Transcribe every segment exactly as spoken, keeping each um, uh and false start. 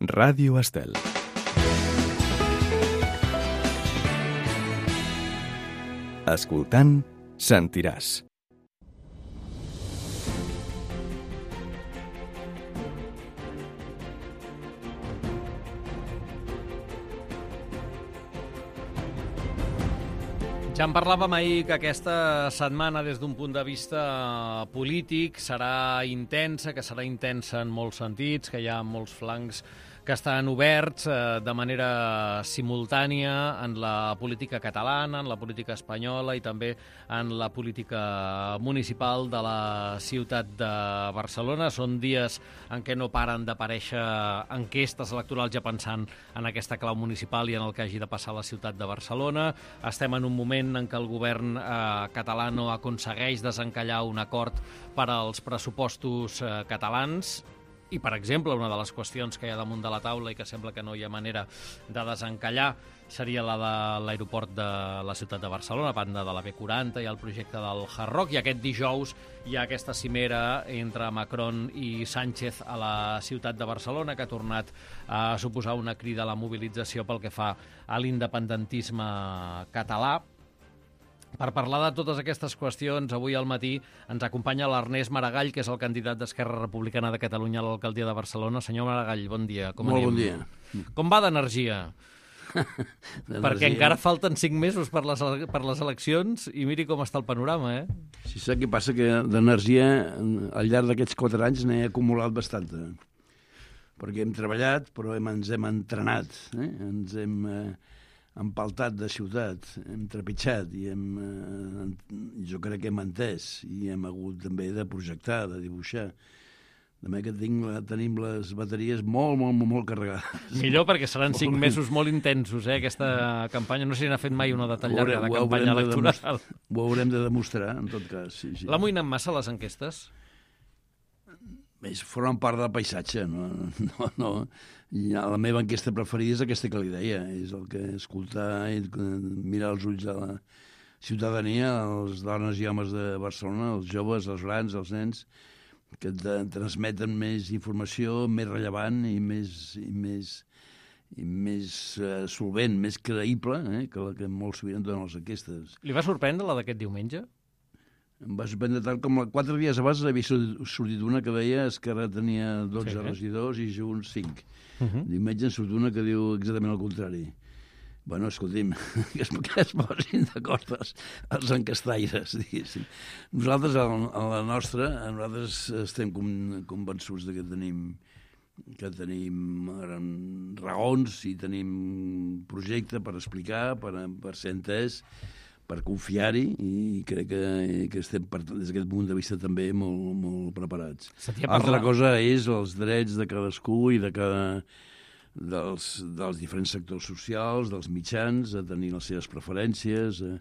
Ràdio Estel. Escoltant, sentiràs. Ja en parlàvem ahir que aquesta setmana, des d'un punt de vista polític, serà intensa, que serà intensa en molts sentits, que hi ha molts flancs que estan oberts eh, de manera simultània en la política catalana, en la política espanyola i també en la política municipal de la ciutat de Barcelona. Són dies en què no paren d'aparèixer enquestes electorals ja pensant en aquesta clau municipal i en el que hagi de passar a la ciutat de Barcelona. Estem en un moment en què el govern eh, català no aconsegueix desencallar un acord per als pressupostos eh, catalans. I, per exemple, una de les qüestions que hi ha damunt de la taula i que sembla que no hi ha manera de desencallar seria la de l'aeroport de la ciutat de Barcelona, a banda de la B quaranta i el projecte del Hard Rock. I aquest dijous hi ha aquesta cimera entre Macron i Sánchez a la ciutat de Barcelona, que ha tornat a suposar una crida a la mobilització pel que fa a l'independentisme català. Per parlar de totes aquestes qüestions, avui al matí ens acompanya l'Ernest Maragall, que és el candidat d'Esquerra Republicana de Catalunya a l'alcaldia de Barcelona. Senyor Maragall, bon dia. Com Molt anem? bon dia. Com va d'energia? Perquè encara falten cinc mesos per les, per les eleccions i miri com està el panorama, eh? Si sap què passa, que d'energia al llarg d'aquests quatre anys n'he acumulat bastanta. Perquè hem treballat, però hem, ens hem entrenat, eh? ens hem eh, empaltat de ciutat, hem trepitjat i hem, eh, jo crec que hem entès i hem hagut també de projectar, de dibuixar. De manera que tinc, tenim les bateries molt, molt, molt, molt carregades. Millor, perquè seran cinc mesos molt intensos, eh, aquesta campanya. No sé si n'ha fet mai una de tan llarga de campanya electoral. Ho haurem de demostrar, en tot cas. Sí, sí. L'amoïnen massa les enquestes? Bé, formen part del paisatge, no? no, no. I la meva enquesta preferida és aquesta que li deia, és el que escoltar i mirar els ulls de la ciutadania, les dones i homes de Barcelona, els joves, els grans, els nens, que transmeten més informació, més rellevant i més, i més, i més uh, solvent, més creïble, eh, que la que molt sovint donen les enquestes. Li va sorprendre la d'aquest diumenge? Em va sorprendre tant com la, quatre dies abans havia sortit una que deia que ara tenia dotze sí, regidors i Junts cinc. Uh -huh. Diumenge en surt una que diu exactament el contrari. Bueno, escolti'm, que es, que es posin d'acord els, els encastaires, diguéssim. Nosaltres, a la nostra, nosaltres estem convençuts de que tenim que tenim raons i tenim projecte per explicar, per, per ser entès, per confiar-hi, i crec que, que estem, des d'aquest punt de vista, també molt, molt preparats. Altra cosa és els drets de cadascú i de cada, dels, dels diferents sectors socials, dels mitjans, a tenir les seves preferències, a,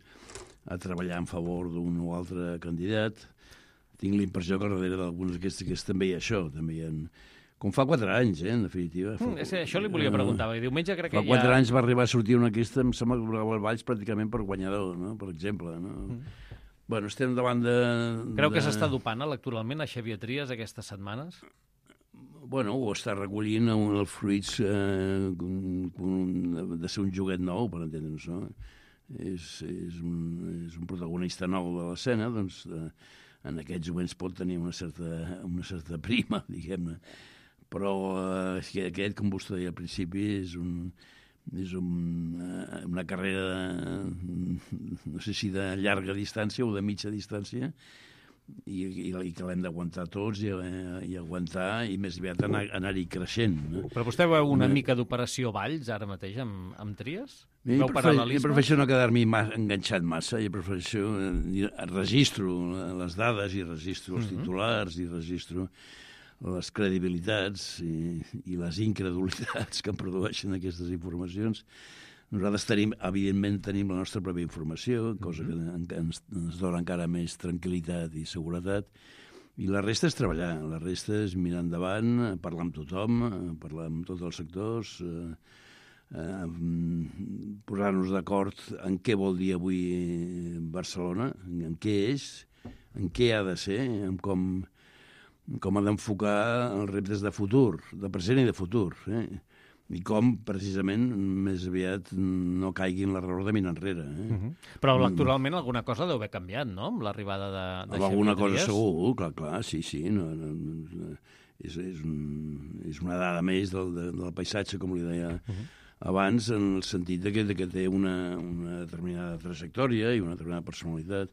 a treballar en favor d'un o altre candidat. Tinc la impressió que darrere d'algunes d'aquestes que també hi ha això, també hi ha... Com fa quatre anys, eh, en definitiva. Fa, mm, és això li volia preguntar, perquè diumenge crec que fa quatre ja... anys va arribar a sortir una enquesta, em sembla que el Valls pràcticament per guanyador, no? Per exemple. No? Mm. Bueno, estem davant de... Creu de... que s'està dopant electoralment a Xavier Trias aquestes setmanes? Bueno, ho està recollint un, els fruits eh, un, un, de ser un joguet nou, per entendre'ns, no? És, és, un, és un protagonista nou de l'escena, doncs eh, en aquests moments pot tenir una certa, una certa prima, diguem-ne. Però eh, aquest, com vostè deia al principi, és, un, és un, eh, una carrera, de, no sé si de llarga distància o de mitja distància, i, i, i que l'hem d'aguantar tots i, i aguantar, i més aviat anar, anar-hi creixent. No? Però vostè veu una no. mica d'operació Valls ara mateix amb, amb Trias? Jo prefereixo no quedar-m'hi enganxat massa, jo prefereixo, eh, registro les dades i registro els titulars i registro les credibilitats i, i les incredulitats que produeixen aquestes informacions. Nosaltres tenim, evidentment, tenim la nostra pròpia informació, cosa que ens, ens dona encara més tranquil·litat i seguretat, i la resta és treballar, la resta és mirar endavant, parlar amb tothom, parlar amb tots els sectors, eh, eh, posar-nos d'acord en què vol dir avui Barcelona, en què és, en què ha de ser, en com com ha d'enfocar els reptes de futur, de present i de futur, eh? I com, precisament, més aviat no caigui en l'error de mirar enrere. Eh? Uh -huh. Però electoralment alguna cosa deu haver canviat, no?, amb l'arribada de, de Xavier alguna cosa Trias. segur, clar, clar, sí, sí. No, no, no, és, és, un, és una dada més del, de, del paisatge, com li deia uh -huh. abans, en el sentit de que, de que té una, una determinada trajectòria i una determinada personalitat.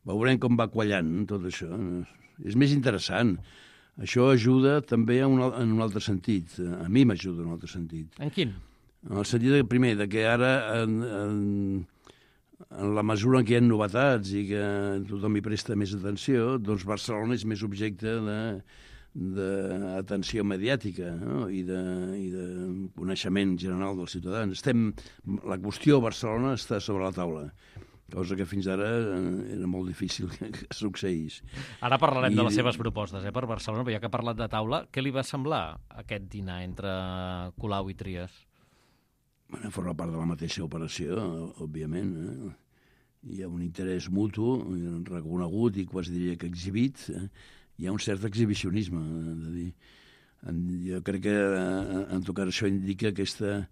Veurem com va quallant tot això. És més interessant. Això ajuda també en un, en un altre sentit. A mi m'ajuda en un altre sentit. En quin? En el sentit, de, primer, de que ara, en, en, en la mesura en què hi ha novetats i que tothom hi presta més atenció, doncs Barcelona és més objecte de d'atenció mediàtica, no? I, de, i de coneixement general dels ciutadans. Estem, la qüestió Barcelona està sobre la taula, cosa que fins ara era molt difícil que, que succeís. Ara parlarem I... de les seves propostes, eh, per Barcelona, però ja que ha parlat de taula, què li va semblar aquest dinar entre Colau i Trias? Bueno, forma part de la mateixa operació, òbviament. Eh? Hi ha un interès mutu, reconegut i quasi diria que exhibit. Eh? Hi ha un cert exhibicionisme, de dir. Jo crec que, en tot cas, això indica aquesta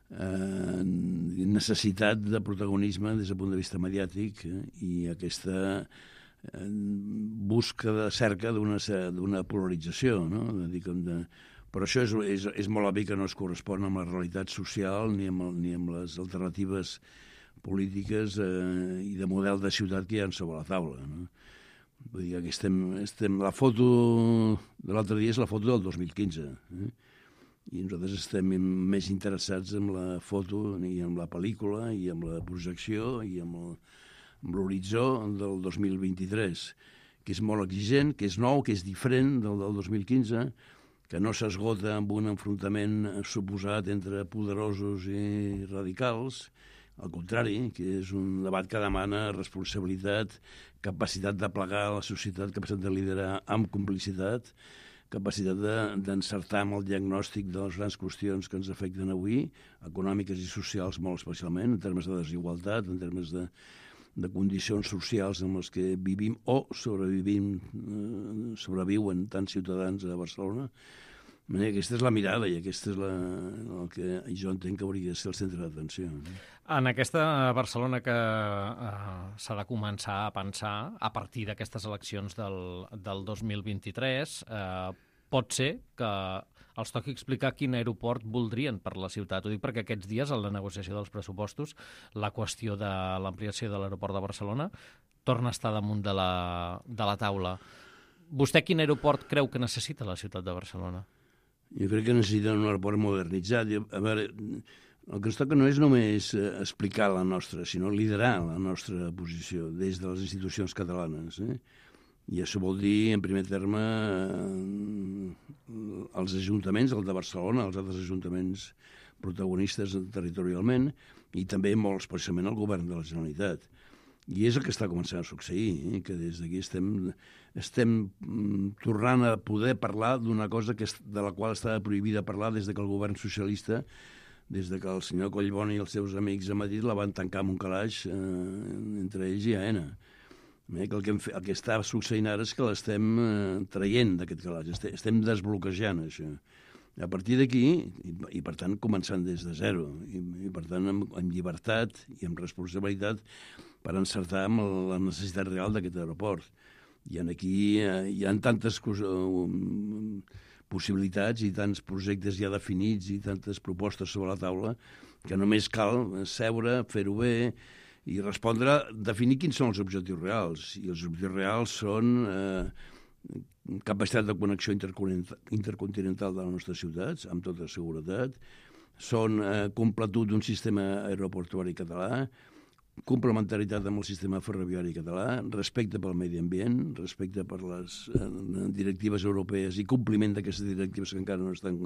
eh, necessitat de protagonisme des del punt de vista mediàtic eh, i aquesta eh, busca de cerca d'una polarització, no? De dir, com de... Però això és, és, és molt obvi que no es correspon amb la realitat social ni amb, el, ni amb les alternatives polítiques eh, i de model de ciutat que hi ha sobre la taula, no? Vull dir que estem, estem... La foto de l'altre dia és la foto del dos mil quinze, eh? I nosaltres estem més interessats en la foto i en la pel·lícula i en la projecció i amb l'horitzó del dos mil vint-i-tres, que és molt exigent, que és nou, que és diferent del del dos mil quinze, que no s'esgota amb un enfrontament suposat entre poderosos i radicals, al contrari, que és un debat que demana responsabilitat, capacitat de plegar la societat, capacitat de liderar amb complicitat, capacitat d'encertar amb el diagnòstic de les grans qüestions que ens afecten avui, econòmiques i socials molt especialment, en termes de desigualtat, en termes de, de condicions socials en les que vivim o sobrevivim, eh, sobreviuen tants ciutadans a Barcelona. Aquesta és la mirada i aquesta és la, el que jo entenc que hauria de ser el centre d'atenció. En aquesta Barcelona que eh, s'ha de començar a pensar a partir d'aquestes eleccions del, del dos mil vint-i-tres, eh, pot ser que els toqui explicar quin aeroport voldrien per la ciutat. Ho dic perquè aquests dies, en la negociació dels pressupostos, la qüestió de l'ampliació de l'aeroport de Barcelona torna a estar damunt de la, de la taula. Vostè quin aeroport creu que necessita la ciutat de Barcelona? Jo crec que necessiten un aeroport modernitzat. A veure, el que ens toca no és només explicar la nostra, sinó liderar la nostra posició des de les institucions catalanes. Eh? I això vol dir, en primer terme, els ajuntaments, el de Barcelona, els altres ajuntaments protagonistes territorialment, i també molt especialment el govern de la Generalitat. I és el que està començant a succeir, eh? Que des d'aquí estem, estem mm, tornant a poder parlar d'una cosa que és, de la qual estava prohibida parlar des de que el govern socialista, des de que el senyor Collboni i els seus amics a Madrid la van tancar amb un calaix eh, entre ells i Aena. Eh? Que el, que hem fet, el que està succeint ara és que l'estem eh, traient d'aquest calaix, estem, estem desbloquejant això. A partir d'aquí, i, i per tant començant des de zero, i, i per tant amb, amb llibertat i amb responsabilitat per encertar amb la necessitat real d'aquest aeroport. I aquí eh, hi ha tantes um, possibilitats i tants projectes ja definits i tantes propostes sobre la taula que només cal seure, fer-ho bé i respondre, definir quins són els objectius reals. I els objectius reals són eh, capacitat de connexió intercontinental de les nostres ciutats, amb tota seguretat, són eh, completud d'un sistema aeroportuari català, complementaritat amb el sistema ferroviari català, respecte pel medi ambient, respecte per les eh, directives europees i compliment d'aquestes directives que encara no estan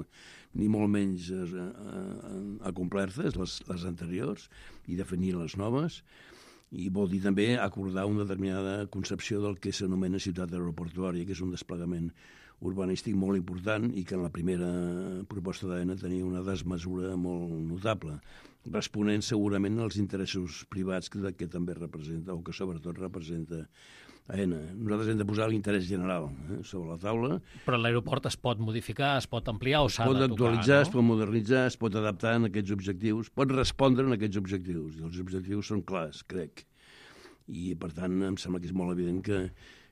ni molt menys eh, eh, acomplertes, les, les anteriors, i definir les noves. I vol dir també acordar una determinada concepció del que s'anomena ciutat aeroportuària, que és un desplegament urbanístic molt important i que en la primera proposta d'Aena tenia una desmesura molt notable, responent segurament als interessos privats que, que també representa, o que sobretot representa Aena. Nosaltres hem de posar l'interès general eh, sobre la taula. Però l'aeroport es pot modificar, es pot ampliar o s'ha de tocar, no? Es pot actualitzar, es pot modernitzar, es pot adaptar en aquests objectius, pot respondre en aquests objectius. I els objectius són clars, crec. I, per tant, em sembla que és molt evident que,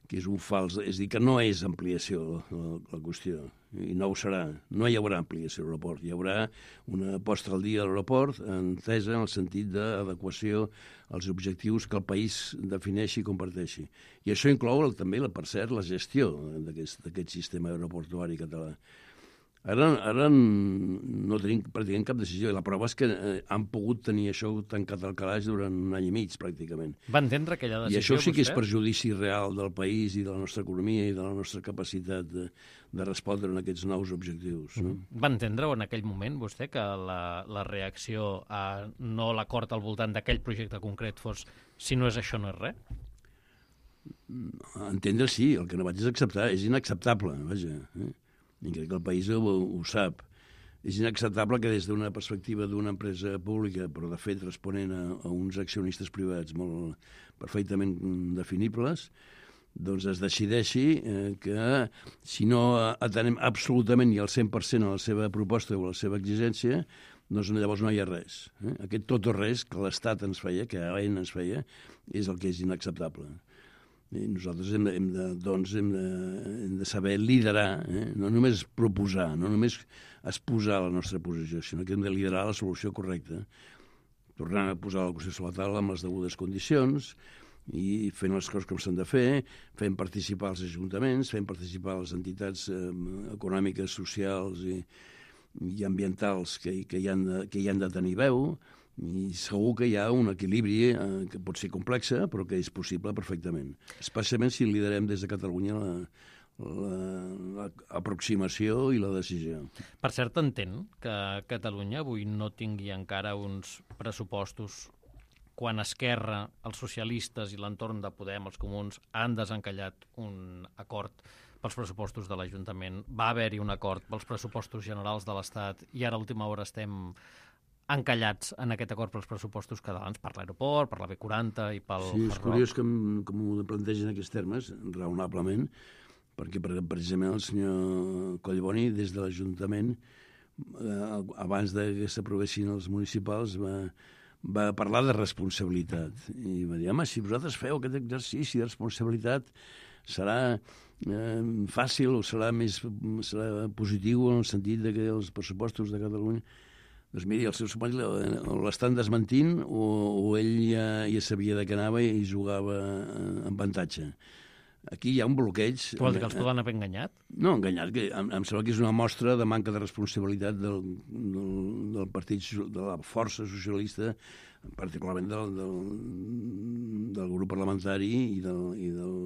que és un fals... És a dir, que no és ampliació la, la qüestió, i no ho serà. No hi haurà ampliació a l'aeroport. Hi haurà una posta al dia a l'aeroport entesa en el sentit d'adequació als objectius que el país defineixi i comparteixi. I això inclou també, per cert, la gestió d'aquest sistema aeroportuari català. Ara, ara no tenim pràcticament cap decisió, i la prova és que eh, han pogut tenir això tancat al calaix durant un any i mig, pràcticament. Va entendre aquella decisió, I això sí que vostè? és perjudici real del país i de la nostra economia i de la nostra capacitat de, de respondre en aquests nous objectius. No? Va entendre en aquell moment, vostè, que la, la reacció a no l'acord al voltant d'aquell projecte concret fos si no és això, no és res? Entendre sí, el que no vaig és acceptar. És inacceptable, vaja. Eh? I crec que el país ho, ho sap. És inacceptable que des d'una perspectiva d'una empresa pública, però de fet responent a, a uns accionistes privats molt perfectament definibles, doncs es decideixi eh, que si no atenem absolutament i al cent per cent a la seva proposta o a la seva exigència, doncs llavors no hi ha res. Eh? Aquest tot o res que l'Estat ens feia, que Aena ens feia, és el que és inacceptable. I nosaltres hem de, hem de, doncs, hem de, hem de saber liderar, eh? No només proposar, no només exposar la nostra posició, sinó que hem de liderar la solució correcta, tornant a posar la qüestió sobre la taula amb les degudes condicions i fent les coses com s'han de fer, fent participar els ajuntaments, fent participar les entitats eh, econòmiques, socials i, i ambientals que, que, hi han de, que hi han de tenir veu, i segur que hi ha un equilibri eh, que pot ser complex, però que és possible perfectament. Especialment si liderem des de Catalunya l'aproximació i la decisió. Per cert, entén que Catalunya avui no tingui encara uns pressupostos quan Esquerra, els socialistes i l'entorn de Podem, els comuns, han desencallat un acord pels pressupostos de l'Ajuntament. Va haver-hi un acord pels pressupostos generals de l'Estat i ara a última hora estem encallats en aquest acord pels pressupostos catalans per l'aeroport, per la B quaranta i pel Sí, és curiós que, com ho plantegen en aquests termes, raonablement, perquè precisament el senyor Collboni, des de l'Ajuntament, eh, abans que s'aprovessin els municipals, va, va parlar de responsabilitat. I va dir, home, si vosaltres feu aquest exercici de responsabilitat, serà eh, fàcil o serà més serà positiu en el sentit de que els pressupostos de Catalunya... Doncs miri, els seus companys l'estan desmentint o, o ell ja, ja sabia de què anava i jugava en avantatge. Aquí hi ha un bloqueig... Tu vol dir que els poden haver enganyat? No, enganyat, que em, em sembla que és una mostra de manca de responsabilitat del, del, del partit, de la força socialista, particularment del, del, del grup parlamentari i del, i del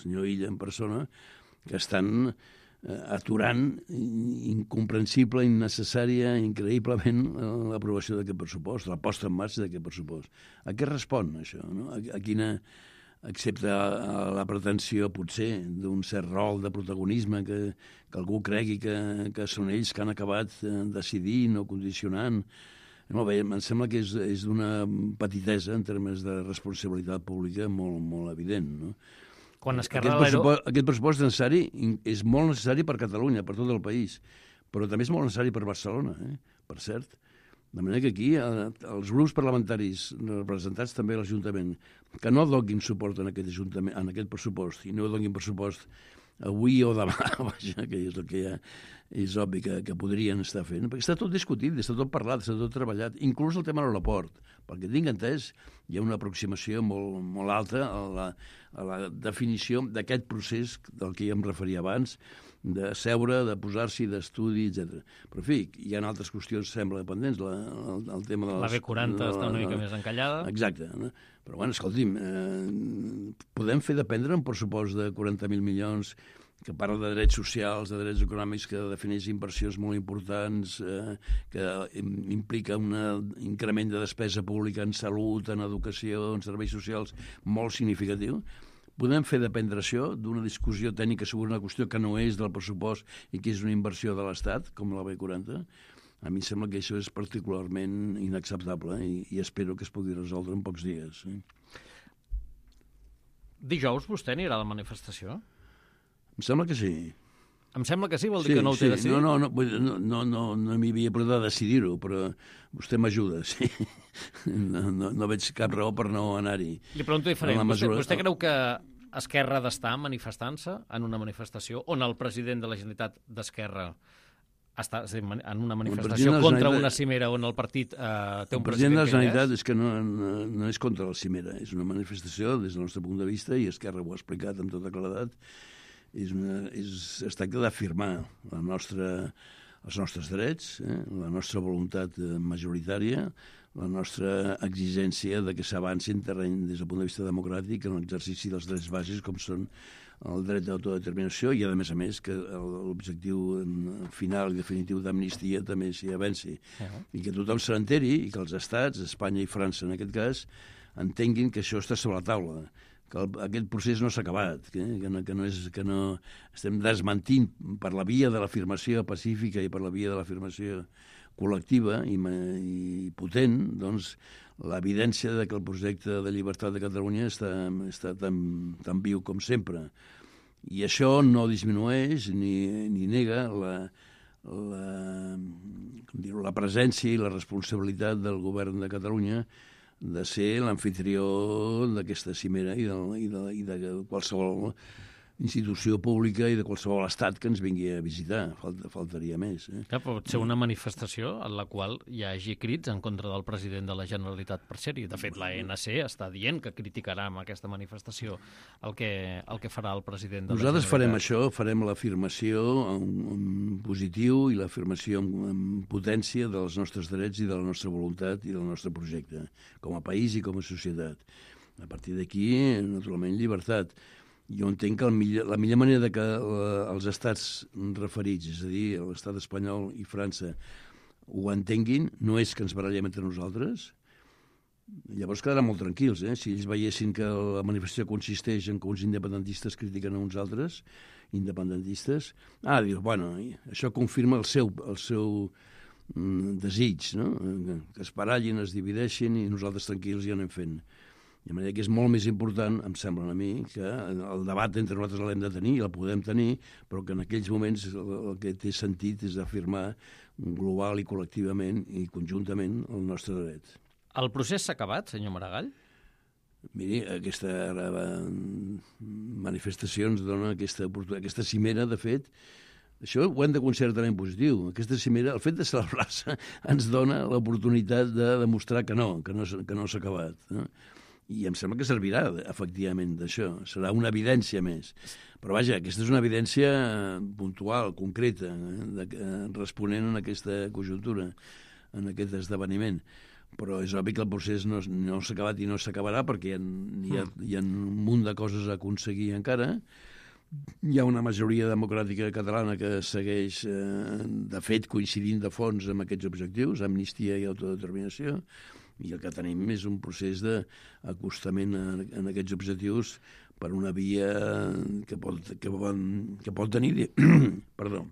senyor Illa en persona, que estan aturant incomprensible, innecessària, increïblement l'aprovació d'aquest pressupost, la posta en marxa d'aquest pressupost. A què respon això? No? A, a quina, excepte a la pretensió, potser, d'un cert rol de protagonisme que, que algú cregui que, que són ells que han acabat decidint o condicionant. No, bé, em sembla que és, és d'una petitesa en termes de responsabilitat pública molt, molt evident, no? Quan Esquerra aquest, pressupost, aquest pressupost necessari és molt necessari per Catalunya, per tot el país, però també és molt necessari per Barcelona, eh? Per cert. De manera que aquí els grups parlamentaris representats també a l'Ajuntament que no donin suport en aquest, ajuntament, en aquest pressupost i no donin pressupost avui o demà, vaja, que és el que ja és obvi que, que podrien estar fent, perquè està tot discutit, està tot parlat, està tot treballat, inclús el tema de l'aeroport. Perquè tinc entès, hi ha una aproximació molt, molt alta a la, a la definició d'aquest procés del que ja em referia abans, de seure, de posar-s'hi, d'estudi, etcètera. Però, en fi, hi ha altres qüestions, sembla, pendents. La, el, el tema de les, la B quaranta de, està una mica més encallada. Exacte. No? Però, bueno, escolti'm, eh, podem fer dependre un pressupost de quaranta mil milions que parla de drets socials, de drets econòmics, que defineix inversions molt importants, eh, que implica un increment de despesa pública en salut, en educació, en serveis socials, molt significatiu. Podem fer dependre això d'una discussió tècnica sobre una qüestió que no és del pressupost i que és una inversió de l'Estat, com la B quaranta. A mi em sembla que això és particularment inacceptable i, i espero que es pugui resoldre en pocs dies. Eh? Dijous vostè anirà a la manifestació? Em sembla que sí. Em sembla que sí, vol dir Sí, que no ho sí. té decidit? No, no, no, vull dir, no, no, no, no m'hi havia portat a decidir-ho, però vostè m'ajuda, sí. No, no, no veig cap raó per no anar-hi. Li pregunto diferent. En la Vostè, mesura- vostè creu que Esquerra ha d'estar manifestant-se en una manifestació on el president de la Generalitat d'Esquerra està és a dir, en una manifestació president de la contra Generalitat- una cimera on el partit eh, té El un president president de la que hi Generalitat és? és que no, no, no és contra la cimera, és una manifestació des del nostre punt de vista, i Esquerra ho ha explicat amb tota claredat, és una, és, es tracta d'afirmar la nostra, els nostres drets, eh, la nostra voluntat eh, majoritària, la nostra exigència de que s'avanci en terreny des del punt de vista democràtic en l'exercici dels drets bàsics com són el dret d'autodeterminació i, a més a més, que l'objectiu final i definitiu d'amnistia també s'hi avanci. Uh-huh. I que tothom se n'enteri i que els estats, Espanya i França en aquest cas, entenguin que això està sobre la taula, que el, aquest procés no s'ha acabat, que, que, no, que, no és, que no estem desmentint per la via de l'afirmació pacífica i per la via de l'afirmació col·lectiva i, i potent, doncs, l'evidència de que el projecte de llibertat de Catalunya està, està tan, tan viu com sempre. I això no disminueix ni, ni nega la, la, com dir-ho, la presència i la responsabilitat del govern de Catalunya de ser l'amfitrió d'aquesta cimera i de, i, de, i de qualsevol institució pública i de qualsevol estat que ens vingui a visitar. Falta, faltaria més. Eh? Ja, pot ser una manifestació en la qual hi hagi crits en contra del president de la Generalitat per ser-hi. De fet, l'A N C està dient que criticarà amb aquesta manifestació el que, el que farà el president de Nosaltres la Generalitat. farem això, farem l'afirmació en, en positiu i l'afirmació en, en potència dels nostres drets i de la nostra voluntat i del nostre projecte, com a país i com a societat. A partir d'aquí, naturalment, llibertat. Jo entenc que el millor, la millor manera de que uh, els estats referits, és a dir, l'estat espanyol i França, ho entenguin, no és que ens barallem entre nosaltres. Llavors quedaran molt tranquils, eh? Si ells veiessin que la manifestació consisteix en que uns independentistes critiquen a uns altres independentistes, ah, dius, bueno, això confirma el seu, el seu mm, desig, no? Que es barallin, es divideixin i nosaltres tranquils ja anem fent. De manera que és molt més important, em sembla a mi, que el debat entre nosaltres l'hem de tenir, el podem tenir, però que en aquells moments el que té sentit és afirmar global i col·lectivament i conjuntament el nostre dret. El procés s'ha acabat, senyor Maragall? Miri, aquesta manifestació ens dona aquesta, aquesta cimera, de fet, això ho hem de considerar també positiu. Aquesta cimera, el fet de celebrar-se, ens dona l'oportunitat de demostrar que no, que no, que no s'ha acabat, no? I em sembla que servirà, efectivament, d'això. Serà una evidència més. Però, vaja, aquesta és una evidència puntual, concreta, eh, de, eh, responent a aquesta conjuntura, en aquest esdeveniment. Però és obvi que el procés no, no s'ha acabat i no s'acabarà perquè hi ha, hi, ha, hi ha un munt de coses a aconseguir encara. Hi ha una majoria democràtica catalana que segueix, eh, de fet, coincidint de fons amb aquests objectius, amnistia i autodeterminació, i el que tenim és un procés d'acostament en aquests objectius per una via que pot, que pot, que pot tenir perdó,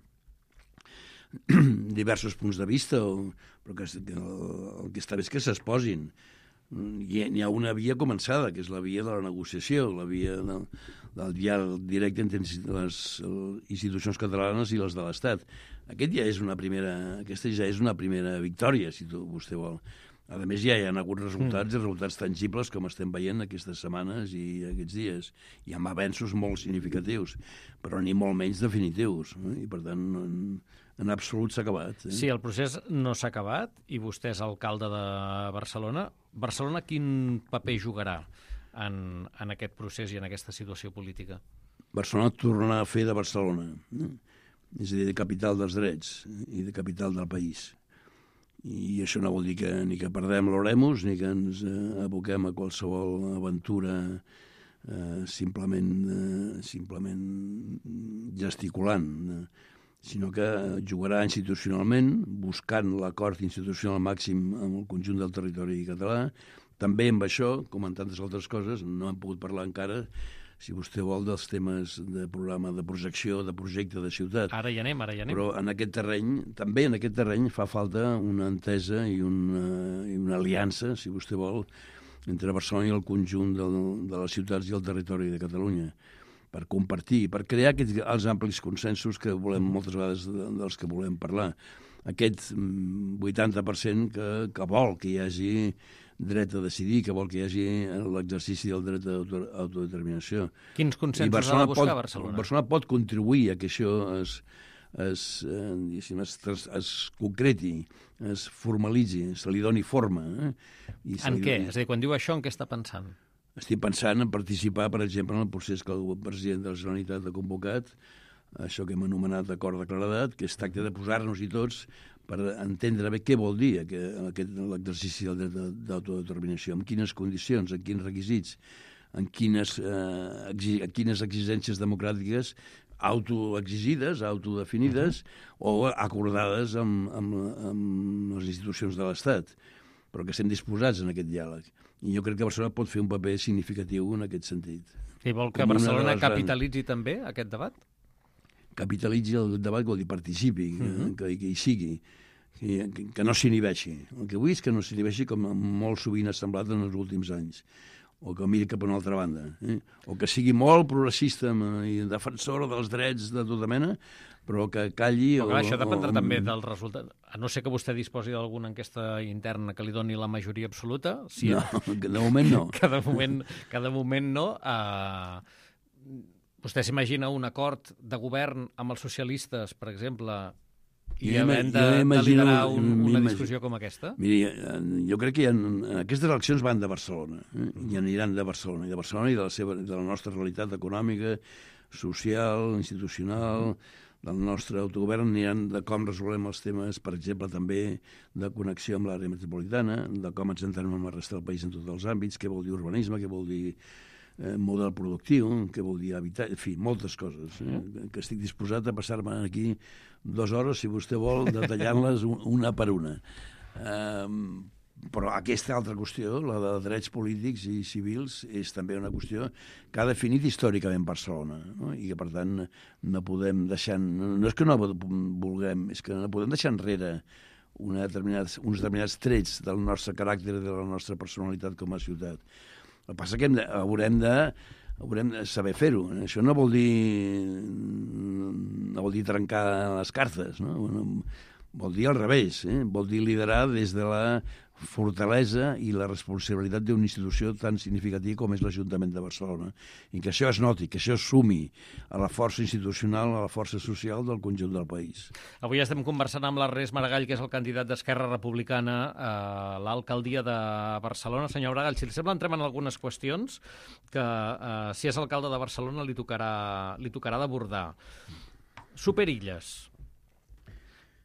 diversos punts de vista, o, però que, que el, el que està bé és que s'exposin. Hi, hi ha una via començada, que és la via de la negociació, la via del, del diàleg directe entre les institucions catalanes i les de l'Estat. Aquest ja és una primera, aquesta ja és una primera victòria, si tu, vostè vol. A més, ja hi ha hagut resultats, mm. i resultats tangibles, com estem veient aquestes setmanes i aquests dies. Hi ha avenços molt significatius, però ni molt menys definitius. No? I, per tant, en, en absolut s'ha acabat. Eh? Sí, el procés no s'ha acabat i vostè és alcalde de Barcelona. Barcelona quin paper jugarà en, en aquest procés i en aquesta situació política? Barcelona tornarà a fer de Barcelona. Eh? És a dir, de capital dels drets i de capital del país. I això no vol dir que ni que perdem l'oremus ni que ens eh, aboquem a qualsevol aventura eh, simplement, eh, simplement gesticulant, eh, sinó que jugarà institucionalment, buscant l'acord institucional màxim amb el conjunt del territori català. També amb això, com en tantes altres coses, no hem pogut parlar encara, si vostè vol, dels temes de programa de projecció, de projecte de ciutat. Ara hi anem, ara hi anem. Però en aquest terreny, també en aquest terreny, fa falta una entesa i una, i una aliança, si vostè vol, entre Barcelona i el conjunt de, de les ciutats i el territori de Catalunya, per compartir, per crear aquests, els amplis consensos que volem moltes vegades dels que volem parlar. Aquest vuitanta per cent que, que vol que hi hagi dret a decidir, que vol que hi hagi l'exercici del dret d'autodeterminació. Quins consensos ha de buscar pot, Barcelona? Barcelona pot contribuir a que això es, es, eh, es, es, es concreti, es formalitzi, se li doni forma. Eh? I en què? Doni... És a dir, quan diu això, en què està pensant? Estic pensant en participar, per exemple, en el procés que el president de la Generalitat ha convocat, això que hem anomenat acord de claredat, que es tracta de posar-nos-hi tots per entendre bé què vol dir aquest, l'exercici del dret d'autodeterminació, en quines condicions, en quins requisits, en quines, eh, exi, en quines exigències democràtiques autoexigides, autodefinides uh-huh. o acordades amb, amb, amb les institucions de l'Estat, però que estem disposats en aquest diàleg. I jo crec que Barcelona pot fer un paper significatiu en aquest sentit. I vol que Barcelona capitalitzi grans... també aquest debat? Capitalitzi el debat, vol dir participi, uh-huh. que, que hi sigui, que, que no s'inhibeixi. El que vull és que no s'inhibeixi com molt sovint ha semblat en els últims anys, o que miri cap a una altra banda, eh? o que sigui molt progressista i defensor dels drets de tota mena, però que calli... Però clar, o, això dependrà o... també del resultat. A no ser que vostè disposi d'alguna enquesta interna que li doni la majoria absoluta... Si no, que de moment no. que, de moment, que de moment no. Uh, vostè s'imagina un acord de govern amb els socialistes, per exemple, i havent de, de liderar un, una discussió com aquesta? Miri, jo crec que hi ha, aquestes eleccions van de Barcelona, eh? i aniran de Barcelona, i de Barcelona i de la, seva, de la nostra realitat econòmica, social, institucional... del nostre autogovern aniran de com resolem els temes, per exemple, també de connexió amb l'àrea metropolitana, de com ens entrem amb la resta del país en tots els àmbits, què vol dir urbanisme, què vol dir eh, model productiu, què vol dir habitatge, en fi, moltes coses, eh, que estic disposat a passar-me aquí dues hores, si vostè vol, detallant-les una per una. Eh, Però aquesta altra qüestió, la de drets polítics i civils, és també una qüestió que ha definit històricament Barcelona, no? I que, per tant, no podem deixar... No és que no vulguem, és que no podem deixar enrere una determinats, uns determinats trets del nostre caràcter i de la nostra personalitat com a ciutat. El que passa que hem de, haurem de haurem de saber fer-ho. Això no vol dir no vol dir trencar les cartes, no? Vol dir al revés, eh? Vol dir liderar des de la fortalesa i la responsabilitat d'una institució tan significativa com és l'Ajuntament de Barcelona, i que això es noti, que això es sumi a la força institucional, a la força social del conjunt del país. Avui estem conversant amb l'Ernest Maragall, que és el candidat d'Esquerra Republicana a l'alcaldia de Barcelona. Senyor Maragall, si li sembla, entrem en algunes qüestions que, eh, si és alcalde de Barcelona, li tocarà, li tocarà d'abordar. Superilles.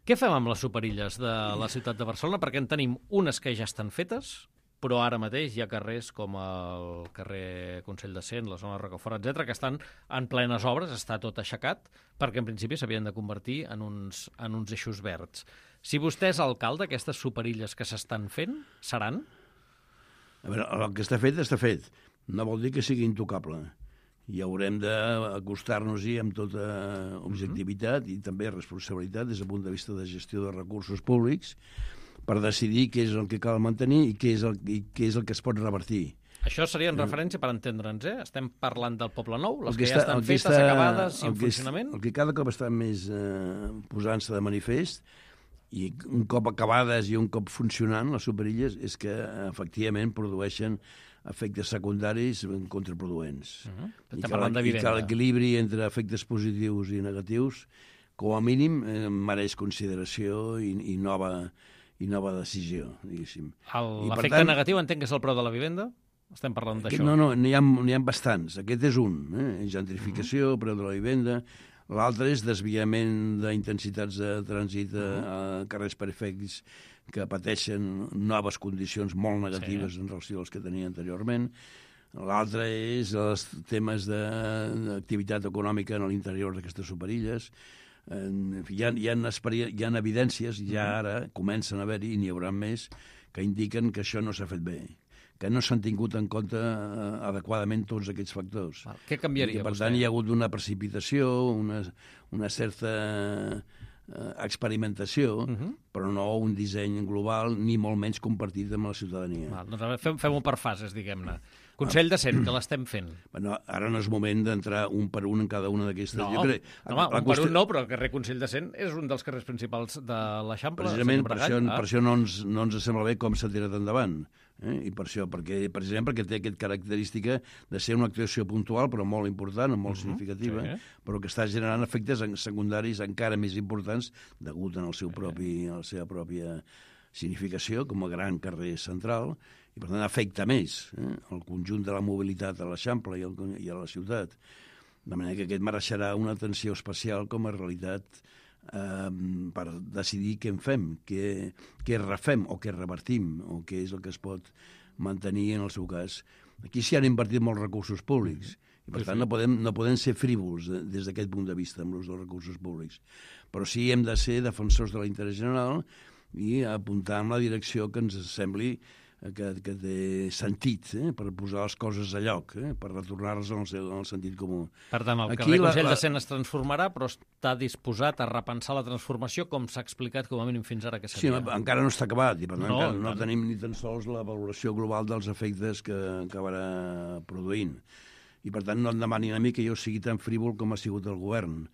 Què fem amb les superilles de la ciutat de Barcelona? Perquè en tenim unes que ja estan fetes, però ara mateix hi ha carrers com el carrer Consell de Cent, la zona de Rocafort, etcètera, que estan en plenes obres, està tot aixecat, perquè en principi s'havien de convertir en uns, en uns eixos verds. Si vostè és alcalde, aquestes superilles que s'estan fent, seran? A veure, el que està fet, està fet. No vol dir que sigui intocable. I haurem d'acostar-nos-hi amb tota objectivitat i també responsabilitat des del punt de vista de gestió de recursos públics per decidir què és el que cal mantenir i què és el, i què és el que es pot revertir. Això seria en referència, per entendre'ns, eh? Estem parlant del Poble Nou, les que, que ja estan fetes, està, acabades i en funcionament? El que cada cop està més eh, posant-se de manifest, i un cop acabades i un cop funcionant les superilles, és que efectivament produeixen efectes secundaris contraproduents. Uh-huh. I que l'equilibri entre efectes positius i negatius, com a mínim, eh, mereix consideració i, i, nova, i nova decisió, diguéssim. L'efecte negatiu entenc que és el preu de la vivenda? Estem parlant d'això. No, no, n'hi ha, n'hi ha bastants. Aquest és un. Eh? Gentrificació, uh-huh. preu de la vivenda. L'altre és desviament d'intensitats de trànsit a, a carrers perifèrics que pateixen noves condicions molt negatives sí. en relació als que tenien anteriorment. L'altre és els temes d'activitat econòmica en l'interior d'aquestes superilles. En fi, hi ha, hi ha, hi ha evidències, ja ara comencen a haver-hi, i n'hi haurà més, que indiquen que això no s'ha fet bé, que no s'han tingut en compte adequadament tots aquests factors. Val. Què canviaria, I que, per vostè? tant, hi ha hagut una precipitació, una, una certa experimentació, uh-huh. però no un disseny global, ni molt menys compartit amb la ciutadania. Val, doncs a veure, fem, fem-ho per fases, diguem-ne. Consell de Cent, que l'estem fent. Bueno, ara no és moment d'entrar un per un en cada una d'aquestes. No, jo crec, no home, un qüestió... per un no, però el carrer Consell de Cent és un dels carrers principals de l'Eixample. Precisament per això, ah. per això no, ens, no ens sembla bé com s'ha tirat endavant. Eh? I per això, perquè, precisament perquè té aquesta característica de ser una actuació puntual, però molt important, molt uh-huh, significativa, sí. però que està generant efectes secundaris encara més importants degut al seu propi, a la seva pròpia significació com a gran carrer central, i per tant afecta més eh, el conjunt de la mobilitat a l'Eixample i, el, i a la ciutat. De manera que aquest mereixerà una atenció especial com a realitat eh, per decidir què en fem, què, què refem o què revertim, o què és el que es pot mantenir en el seu cas. Aquí s'hi han invertit molts recursos públics, i per tant no podem, no podem ser frívols des d'aquest punt de vista amb l'ús dels recursos públics. Però sí hem de ser defensors de l'interès general i apuntar en la direcció que ens sembli que, que té sentit, eh, per posar les coses a lloc, eh, per retornar-les en, en el sentit comú. Per tant, el carrer Consell de Cent es transformarà, però està disposat a repensar la transformació, com s'ha explicat com a mínim fins ara que seria. Sí, encara no està acabat, i per tant no, encara no tenim ni tan sols la valoració global dels efectes que acabarà produint. I per tant no em demanin a mi que jo sigui tan frívol com ha sigut el govern.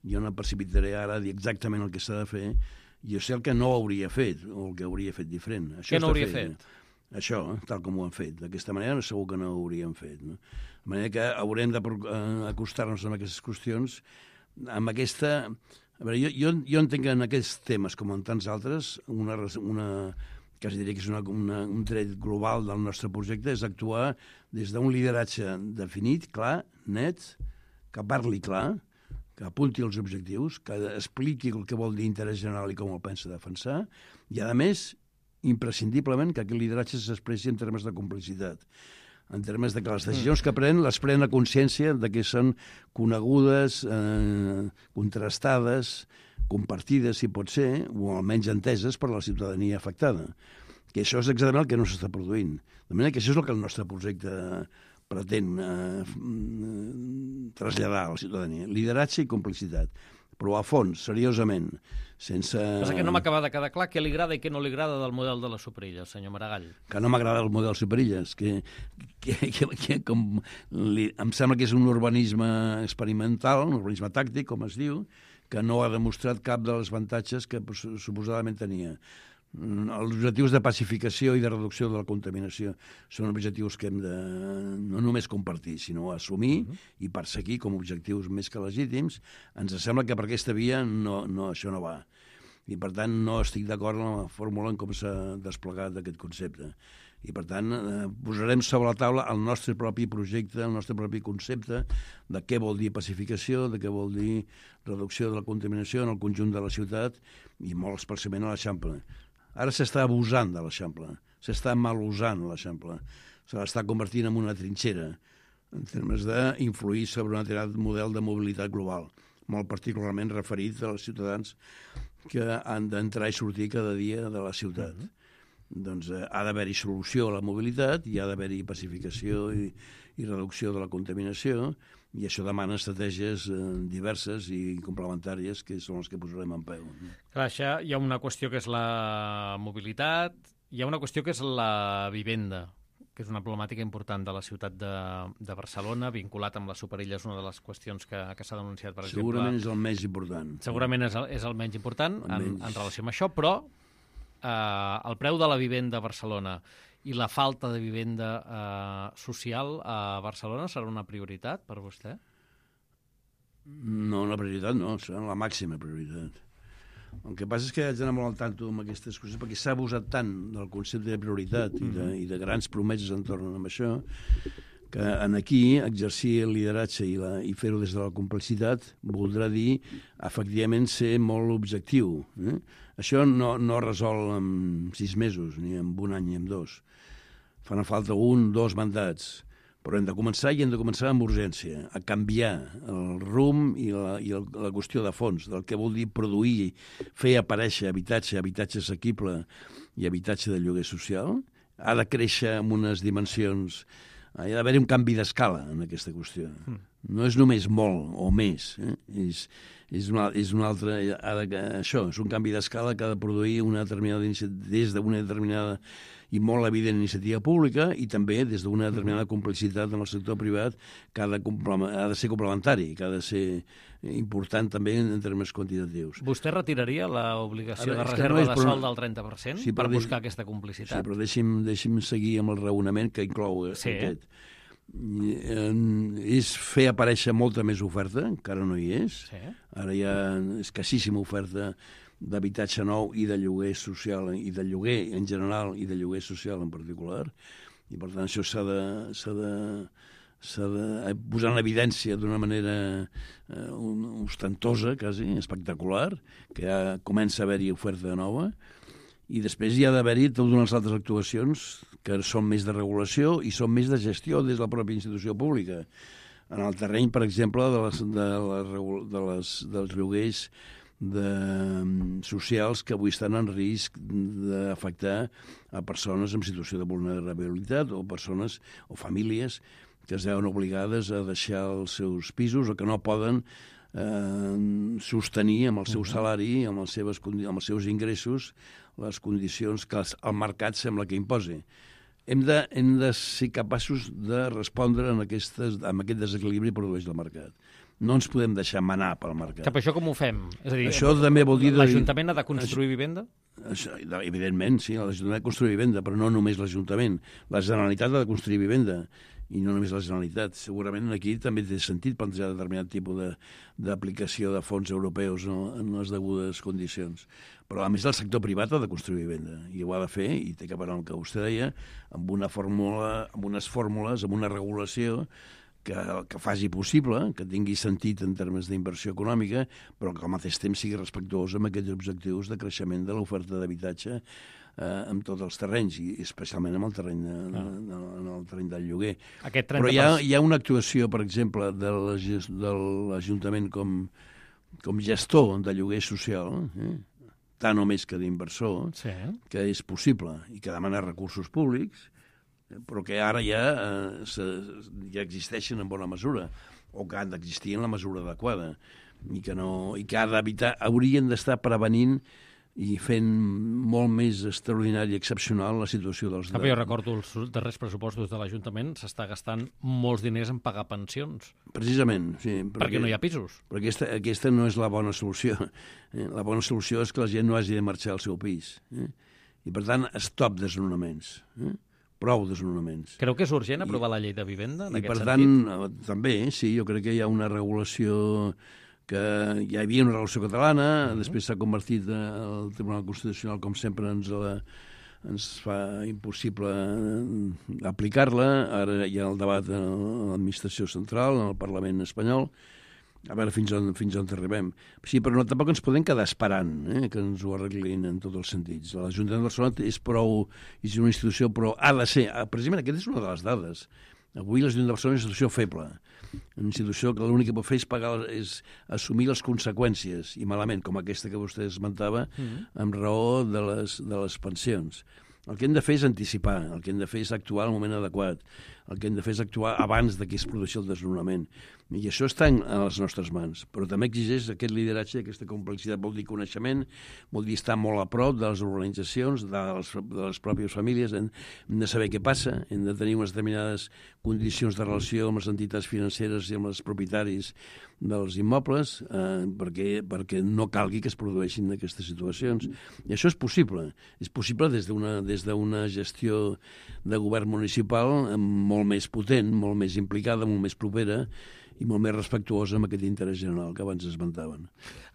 Jo no precipitaré ara a dir exactament el que s'ha de fer. Jo sé el que no hauria fet, o el que hauria fet diferent. Això Què no hauria fet? fet? Això, tal com ho han fet. D'aquesta manera segur que no ho hauríem fet. No? De manera que haurem d'acostar-nos a aquestes qüestions amb aquesta... A veure, jo, jo, jo entenc que en aquests temes, com en tants altres, una, una, que es diria que és una, una, un tret global del nostre projecte és actuar des d'un lideratge definit, clar, net, que parli clar, que apunti els objectius, que expliqui el que vol dir interès general i com el pensa defensar, i, a més, imprescindiblement que aquest lideratge s'expressi en termes de complicitat, en termes de que les decisions que pren les pren a consciència de que són conegudes, eh, contrastades, compartides, si pot ser, o almenys enteses per la ciutadania afectada. Que això és exactament el que no s'està produint. De manera que això és el que el nostre projecte pretén eh, traslladar a la ciutadania. Lideratge i complicitat. Però a fons, seriosament, sense... Passa que no m'acaba de quedar clar què li agrada i què no li agrada del model de les Superilles, senyor Maragall. Que no m'agrada el model Superilles, que, que, que, que com li, em sembla que és un urbanisme experimental, un urbanisme tàctic, com es diu, que no ha demostrat cap dels avantatges que suposadament tenia. Els objectius de pacificació i de reducció de la contaminació són objectius que hem de no només compartir, sinó assumir uh-huh. i perseguir com objectius més que legítims. Ens sembla que per aquesta via no, no, això no va. I, per tant, no estic d'acord amb la fórmula en com s'ha desplegat aquest concepte. I, per tant, eh, posarem sobre la taula el nostre propi projecte, el nostre propi concepte de què vol dir pacificació, de què vol dir reducció de la contaminació en el conjunt de la ciutat i molt especialment a l'Eixample. Ara s'està abusant de l'Eixample, s'està mal usant l'Eixample, se l'està convertint en una trinxera en termes d'influir sobre un determinat model de mobilitat global, molt particularment referit als ciutadans que han d'entrar i sortir cada dia de la ciutat. Mm-hmm. Doncs eh, ha d'haver-hi solució a la mobilitat, i ha d'haver-hi pacificació i, i reducció de la contaminació, i això demana estratègies eh, diverses i complementàries que són les que posarem en peu. Clar, això hi ha una qüestió que és la mobilitat, hi ha una qüestió que és la vivenda, que és una problemàtica important de la ciutat de, de Barcelona, vinculat amb les Superilles, una de les qüestions que, que s'ha denunciat, per exemple. Segurament és el més important. Segurament és el, és el menys important el en, menys... en relació amb això, però eh, el preu de la vivenda a Barcelona i la falta de vivenda eh, social a Barcelona serà una prioritat per vostè? No, una prioritat no, serà la màxima prioritat. El que passa és que haig d'anar molt al tanto amb aquestes coses, perquè s'ha abusat tant del concepte de prioritat mm-hmm. i, de, i de grans promeses entorn amb això, que en aquí exercir el lideratge i, la, i fer-ho des de la complexitat voldrà dir, efectivament, ser molt objectiu. Eh? Això no, no resol en sis mesos, ni en un any ni en dos. Fan falta un, dos mandats, però hem de començar i hem de començar amb urgència, a canviar el rumb i la, i el, la qüestió de fons, del que vol dir produir, fer aparèixer habitatge, habitatge assequible i habitatge de lloguer social. Ha de créixer amb unes dimensions... Ha d'haver-hi un canvi d'escala en aquesta qüestió. Mm. No és només molt o més, eh? és, és, una, és una altra... Ha de, això, és un canvi d'escala que ha de produir una determinada des d'una determinada i molt evident iniciativa pública i també des d'una determinada complicitat en el sector privat que ha de, ha de ser complementari, que ha de ser important també en termes quantitatius. Vostè retiraria l'obligació de Ara, és que reserva no és, de però- sol del trenta per cent Sí, per però deix- buscar aquesta Sí, complicitat? però deixi'm, deixi'm seguir amb el raonament que inclou Sí. aquest. I, eh, és fer aparèixer molta més oferta, encara no hi és. Sí. Ara hi ha escassíssima oferta d'habitatge nou i de lloguer social, i de lloguer en general i de lloguer social en particular, i per tant això s'ha de, s'ha de, s'ha de posar en evidència d'una manera eh, ostentosa, quasi, espectacular, que ja comença a haver-hi oferta nova, i després hi ha d'haver-hi totes unes altres actuacions que són més de regulació i són més de gestió des de la pròpia institució pública. En el terreny, per exemple, de les, de les, de les, dels lloguers de, socials que avui estan en risc d'afectar a persones en situació de vulnerabilitat o persones o famílies que es veuen obligades a deixar els seus pisos o que no poden eh, sostenir amb el seu salari, amb, les seves, amb els seus ingressos, les condicions que el mercat sembla que imposi. Hem de, hem de ser capaços de respondre en, aquestes, en aquest desequilibri que produeix el mercat. No ens podem deixar manar pel mercat. Cap això com ho fem? És a dir, Això també vol dir... l'Ajuntament ha de construir vivenda? Això, evidentment, sí, l'Ajuntament ha de construir vivenda, però no només l'Ajuntament. La Generalitat ha de construir vivenda, i no només la Generalitat. Segurament aquí també té sentit plantejar determinat tipus d'aplicació de, de fons europeus, no, en les degudes condicions. Però, a més, el sector privat ha de construir vivenda, i ho ha de fer, i té que veure amb el que vostè deia, amb, una fórmula, amb unes fórmules, amb una regulació que, que faci possible, que tingui sentit en termes d'inversió econòmica, però que al mateix temps sigui respectuós amb aquests objectius de creixement de l'oferta d'habitatge eh, en tots els terrenys, i especialment en el terreny, de, ah. de, en el terreny del lloguer. Aquest trenta per cent... Però hi ha, hi ha una actuació, per exemple, de l'Ajuntament com, com gestor de lloguer social, eh? tant o més que d'inversor, Sí. que és possible i que demana recursos públics, però que ara ja, eh, se, ja existeixen en bona mesura, o que han d'existir en la mesura adequada, i que, no, i que ha d'evitar, haurien d'estar prevenint i fent molt més extraordinari i excepcional la situació dels... Cap, jo recordo els darrers pressupostos de l'Ajuntament, s'està gastant molts diners en pagar pensions. Precisament, sí. Perquè, perquè no hi ha pisos. Però aquesta, aquesta no és la bona solució. Eh? La bona solució és que la gent no hagi de marxar al seu pis. Eh? I, per tant, stop desnonaments. Eh? Prou desnonaments. Creu que és urgent aprovar I, la llei de vivenda, en i aquest per sentit? tant, també, sí, jo crec que hi ha una regulació que hi havia una regulació catalana, uh-huh. després s'ha convertit el Tribunal Constitucional, com sempre, ens, la, ens fa impossible aplicar-la. Ara hi ha el debat a l'administració central, en el Parlament espanyol, a veure fins on, fins on arribem. Sí, però no, tampoc ens podem quedar esperant eh, que ens ho arreglin en tots els sentits. L'Ajuntament de Barcelona és prou, és una institució, però ha de ser, precisament aquesta és una de les dades. Avui l'Ajuntament de Barcelona és una institució feble, una institució que l'únic que pot fer és, pagar, és assumir les conseqüències, i malament, com aquesta que vostè esmentava, mm-hmm. amb raó de les, de les pensions. El que hem de fer és anticipar, el que hem de fer és actuar al moment adequat, el que hem de fer és actuar abans de que es produeixi el desnonament. I això està en les nostres mans, però també exigeix aquest lideratge, aquesta complexitat. Vol dir coneixement, vol dir estar molt a prop de les organitzacions, de les, de les pròpies famílies, hem, hem de saber què passa, hem de tenir unes determinades condicions de relació amb les entitats financeres i amb els propietaris dels immobles, eh, perquè, perquè no calgui que es produeixin aquestes situacions. I això és possible. És possible des d'una des d'una gestió de govern municipal molt més potent, molt més implicada, molt més propera, i molt més respectuosa amb aquest interès general que abans esmentaven.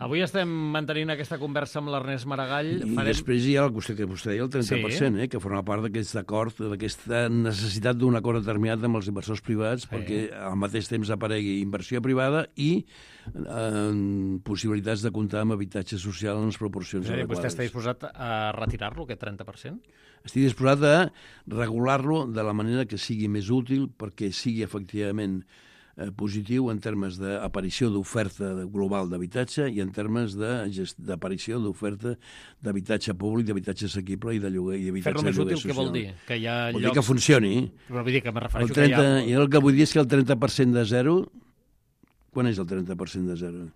Avui estem mantenint aquesta conversa amb l'Ernest Maragall. I Farem... després hi ha el que vostè, que vostè deia, el trenta per cent, sí. eh, que forma part d'aquest acord, d'aquesta necessitat d'un acord determinat amb els inversors privats, sí. perquè al mateix temps aparegui inversió privada i eh, possibilitats de comptar amb habitatge social en les proporcions sí, adequades. Vostè està disposat a retirar-lo, aquest trenta per cent? Estic disposat a regular-lo de la manera que sigui més útil perquè sigui efectivament eh, positiu en termes d'aparició d'oferta global d'habitatge i en termes d'aparició d'oferta d'habitatge públic, d'habitatge assequible i de lloguer i d'habitatge Fer-lo més útil, social. què vol dir? Que hi ha vol llocs... dir que funcioni. Però vull dir que me refereixo el trenta, que hi ha... Jo el que vull dir és que el trenta per cent de zero quan és el trenta per cent de zero?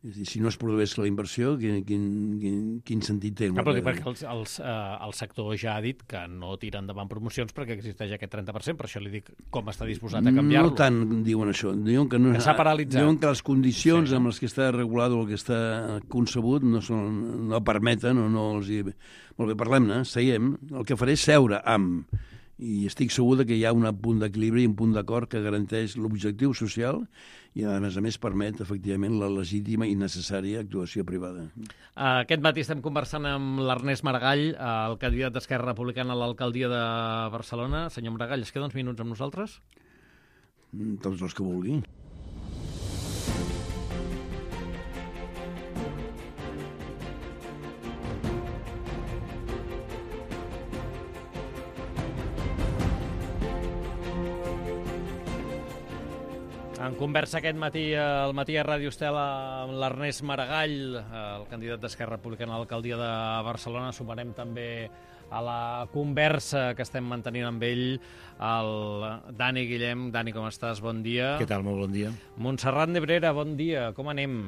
És a dir, si no es produeix la inversió, quin, quin, quin, quin sentit té? Ah, però dic perquè els, els, eh, el sector ja ha dit que no tira endavant promocions perquè existeix aquest trenta per cent, per això li dic com està disposat a canviar-lo. No tant diuen això. Diuen que, no, que s'ha paralitzat. Diuen que les condicions sí. amb les que està regulat o el que està concebut no, són, no permeten o no els hi... Molt bé, parlem-ne, seiem. El que faré és seure amb... I estic segur que hi ha un punt d'equilibri i un punt d'acord que garanteix l'objectiu social i, a més a més, permet, efectivament, la legítima i necessària actuació privada. Aquest matí estem conversant amb l'Ernest Maragall, el candidat d'Esquerra Republicana a l'alcaldia de Barcelona. Senyor Maragall, es queda uns minuts amb nosaltres? Tots els que vulgui. En conversa aquest matí al matí a Ràdio Estel amb l'Ernest Maragall, el candidat d'Esquerra Republicana a l'alcaldia de Barcelona. Sumarem també a la conversa que estem mantenint amb ell el Dani Guillem. Dani, com estàs? Bon dia. Què tal? Molt bon dia. Montserrat Nebrera, bon dia. Com anem?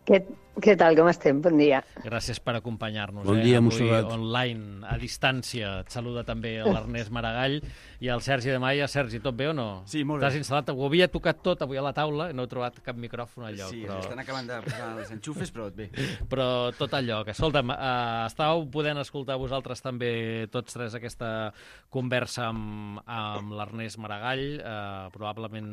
Què, què tal? Com estem? Bon dia. Gràcies per acompanyar-nos. Bon dia, eh? Montserrat. Avui online, a distància. Et saluda també l'Ernest Maragall i el Sergi de Maia. Sergi, tot bé o no? Sí, molt bé. T'has instal·lat? Ho havia tocat tot avui a la taula i no he trobat cap micròfon al lloc. Sí, però... estan acabant de posar els enxufes, però bé. Però tot al lloc. Escolta'm, eh, estàveu podent escoltar vosaltres també tots tres aquesta conversa amb, amb l'Ernest Maragall. Eh, probablement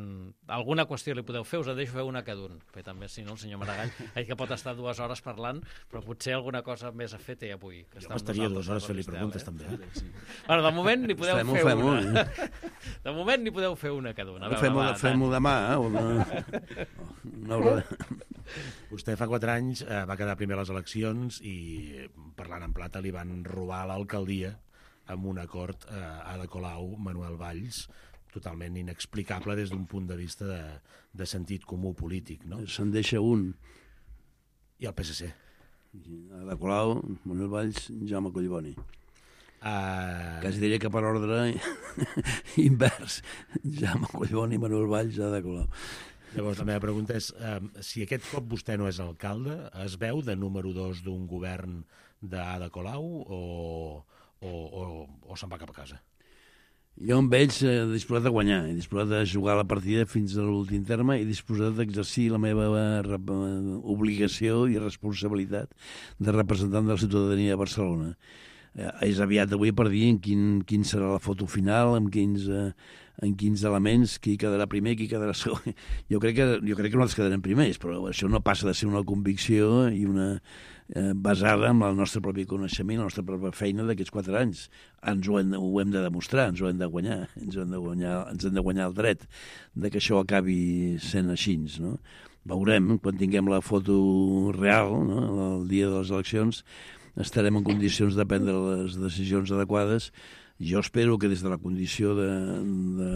alguna qüestió li podeu fer, us en deixo fer una cada un. Bé, també, si no, el senyor Maragall, ell que pot estar dues hores parlant, però potser alguna cosa més a fer té avui. Que jo estaria dues hores fent-li preguntes, eh? també. Eh? Sí. Bueno, de moment n'hi podeu Fem-ho, fer fem-ho, una. eh? De moment n'hi podeu fer una cada una. Fem-ho fem demà, eh? O de... Una hora de... Vostè fa quatre anys eh, va quedar primer a les eleccions i, parlant en plata, li van robar l'alcaldia amb un acord eh, Ada Colau, Manuel Valls, totalment inexplicable des d'un punt de vista de, de sentit comú polític, no? Se'n deixa un. I el P S C. Ada Colau, Manuel Valls, Jaume Collboni. Uh... Quasi diria que per ordre invers. Jaume Collboni, Manuel Valls, Ada Colau. Llavors, la meva pregunta és, eh, si aquest cop vostè no és alcalde, es veu de número dos d'un govern d'Ada Colau o, o, o, o se'n va cap a casa? Jo em veig eh, disposat a guanyar, disposat a jugar la partida fins a l'últim terme i disposat d'exercir la meva eh, obligació i responsabilitat de representant de la ciutadania de Barcelona. Eh, és aviat avui per dir en quin, quin serà la foto final, en quins, eh, en quins elements, qui quedarà primer, qui quedarà segon. Jo crec que, jo crec que nosaltres quedarem primers, però això no passa de ser una convicció i una eh, basada en el nostre propi coneixement, la nostra pròpia feina d'aquests quatre anys. Ens ho hem, ho hem de demostrar, ens ho hem de guanyar, ens hem de guanyar, ens hem de guanyar el dret de que això acabi sent així, no? Veurem, quan tinguem la foto real, no? El dia de les eleccions, estarem en condicions de prendre les decisions adequades. Jo espero que des de la condició de, de,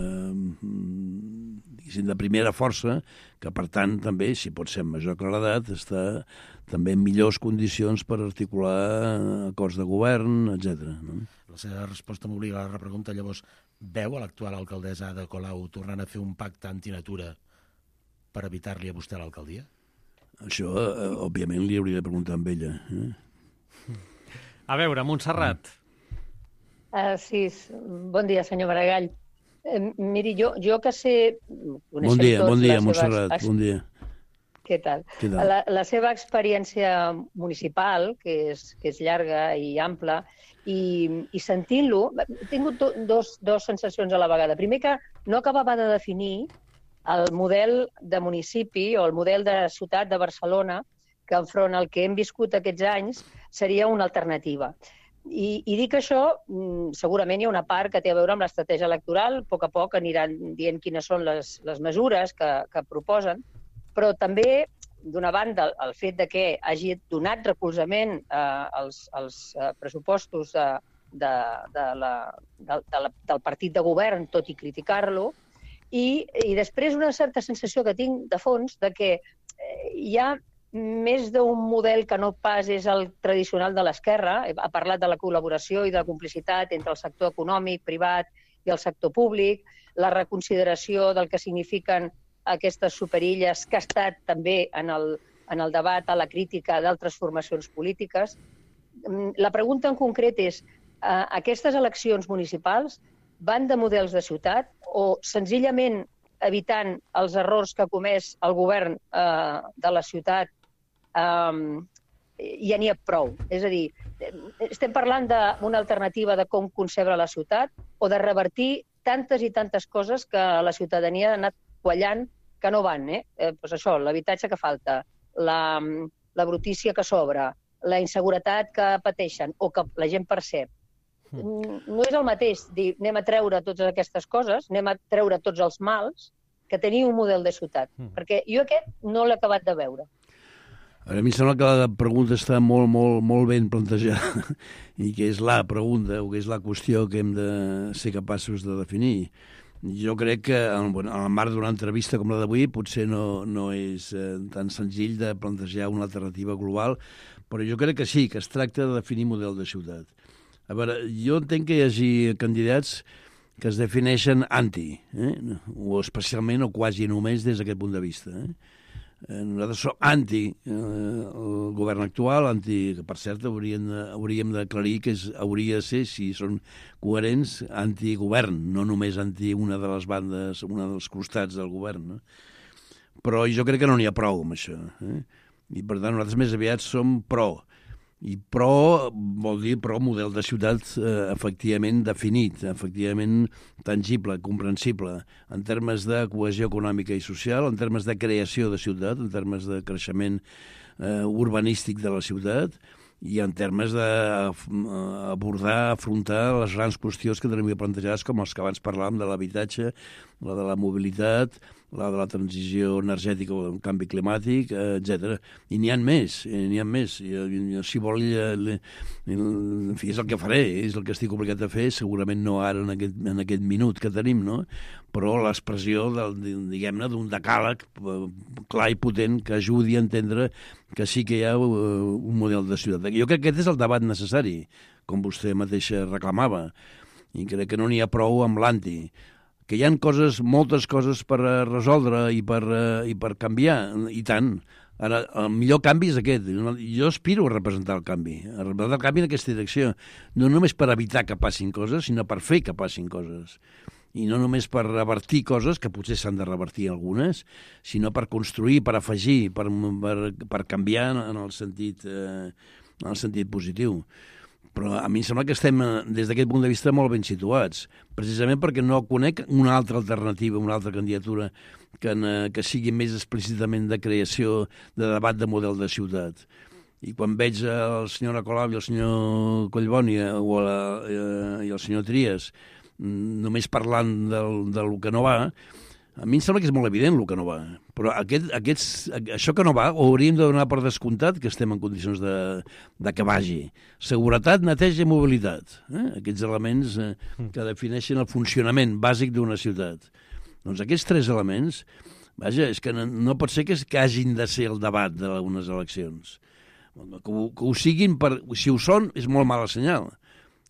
de primera força, que per tant també, si pot ser amb major claredat, està també en millors condicions per articular acords de govern, etcètera. No? La seva resposta m'obliga a la repregunta. Llavors, veu a l'actual alcaldessa Ada Colau tornant a fer un pacte antinatura per evitar-li a vostè l'alcaldia? Això, eh, òbviament, li hauria de preguntar amb ella. Eh? A veure, Montserrat. Uh, sí, bon dia, senyor Maragall. Uh, miri, jo, jo que sé... Bon dia, tots bon dia, seves... Montserrat, bon dia. Què tal? Què tal? La, la seva experiència municipal, que és, que és llarga i ampla, i, i sentint-lo, he tingut do, dos, dos sensacions a la vegada. Primer, que no acabava de definir el model de municipi o el model de ciutat de Barcelona, que enfront al que hem viscut aquests anys seria una alternativa. I, i dic això, segurament hi ha una part que té a veure amb l'estratègia electoral, a poc a poc aniran dient quines són les, les mesures que, que proposen, però també, d'una banda, el fet de que hagi donat recolzament eh, als, als eh, pressupostos de, de, de la, de, de la, del partit de govern, tot i criticar-lo, i, i després una certa sensació que tinc de fons de que eh, hi ha més d'un model que no pas és el tradicional de l'esquerra. Ha parlat de la col·laboració i de la complicitat entre el sector econòmic, privat i el sector públic, la reconsideració del que signifiquen aquestes superilles que ha estat també en el, en el debat, a la crítica d'altres formacions polítiques. La pregunta en concret és, eh, aquestes eleccions municipals van de models de ciutat o senzillament evitant els errors que ha comès el govern eh, de la ciutat eh, ja n'hi ha prou? És a dir, estem parlant d'una alternativa de com concebre la ciutat o de revertir tantes i tantes coses que la ciutadania ha anat quallant que no van, eh? eh doncs això, l'habitatge que falta, la, la brutícia que sobra, la inseguretat que pateixen o que la gent percep. No és el mateix dir anem a treure totes aquestes coses, anem a treure tots els mals, que tenir un model de ciutat. Mm. Perquè jo aquest no l'he acabat de veure. A mi em sembla que la pregunta està molt, molt, molt ben plantejada i que és la pregunta o que és la qüestió que hem de ser capaços de definir. Jo crec que en el marc d'una entrevista com la d'avui potser no, no és eh, tan senzill de plantejar una alternativa global, però jo crec que sí, que es tracta de definir model de ciutat. A veure, jo entenc que hi hagi candidats que es defineixen anti, eh? o especialment o quasi només des d'aquest punt de vista. Eh? Nosaltres som anti eh, el govern actual, anti, que per cert hauríem, hauríem d'aclarir que és, hauria de ser, si són coherents, antigovern, no només anti una de les bandes, una dels costats del govern. No? Però jo crec que no n'hi ha prou amb això. Eh? I per tant nosaltres més aviat som pro. I pro vol dir pro model de ciutat eh, efectivament definit, efectivament tangible, comprensible, en termes de cohesió econòmica i social, en termes de creació de ciutat, en termes de creixement eh, urbanístic de la ciutat i en termes d'abordar, afrontar les grans qüestions que tenim plantejades, com els que abans parlàvem de l'habitatge, la de la mobilitat, la de la transició energètica o el canvi climàtic, etcètera. I n'hi ha més, n'hi ha més. I, si vol, en fi, és el que faré, és el que estic obligat a fer, segurament no ara en aquest, en aquest minut que tenim, no? Però l'expressió, diguem-ne, d'un decàleg clar i potent que ajudi a entendre que sí que hi ha un model de ciutat. Jo crec que aquest és el debat necessari, com vostè mateixa reclamava, i crec que no n'hi ha prou amb l'anti. Que hi ha coses, moltes coses per resoldre i per, i per canviar, i tant. Ara, el millor canvi és aquest. Jo aspiro a representar el canvi, a representar el canvi en aquesta direcció. No només per evitar que passin coses, sinó per fer que passin coses. I no només per revertir coses, que potser s'han de revertir algunes, sinó per construir, per afegir, per, per, per canviar en el sentit, eh, en el sentit positiu. Però a mi em sembla que estem, des d'aquest punt de vista, molt ben situats, precisament perquè no conec una altra alternativa, una altra candidatura que, que sigui més explícitament de creació, de debat de model de ciutat. I quan veig el senyor Colau i el senyor Collboni o la, eh, i el senyor Trias només parlant del, del que no va, a mi em sembla que és molt evident el que no va. Però aquest, aquests, això que no va ho hauríem de donar per descomptat que estem en condicions de, de que vagi. Seguretat, neteja i mobilitat. Eh? Aquests elements eh, que defineixen el funcionament bàsic d'una ciutat. Doncs aquests tres elements, vaja, és que no, no pot ser que, que hagin de ser el debat d'unes eleccions. Que ho, que ho siguin, per, si ho són, és molt mala senyal.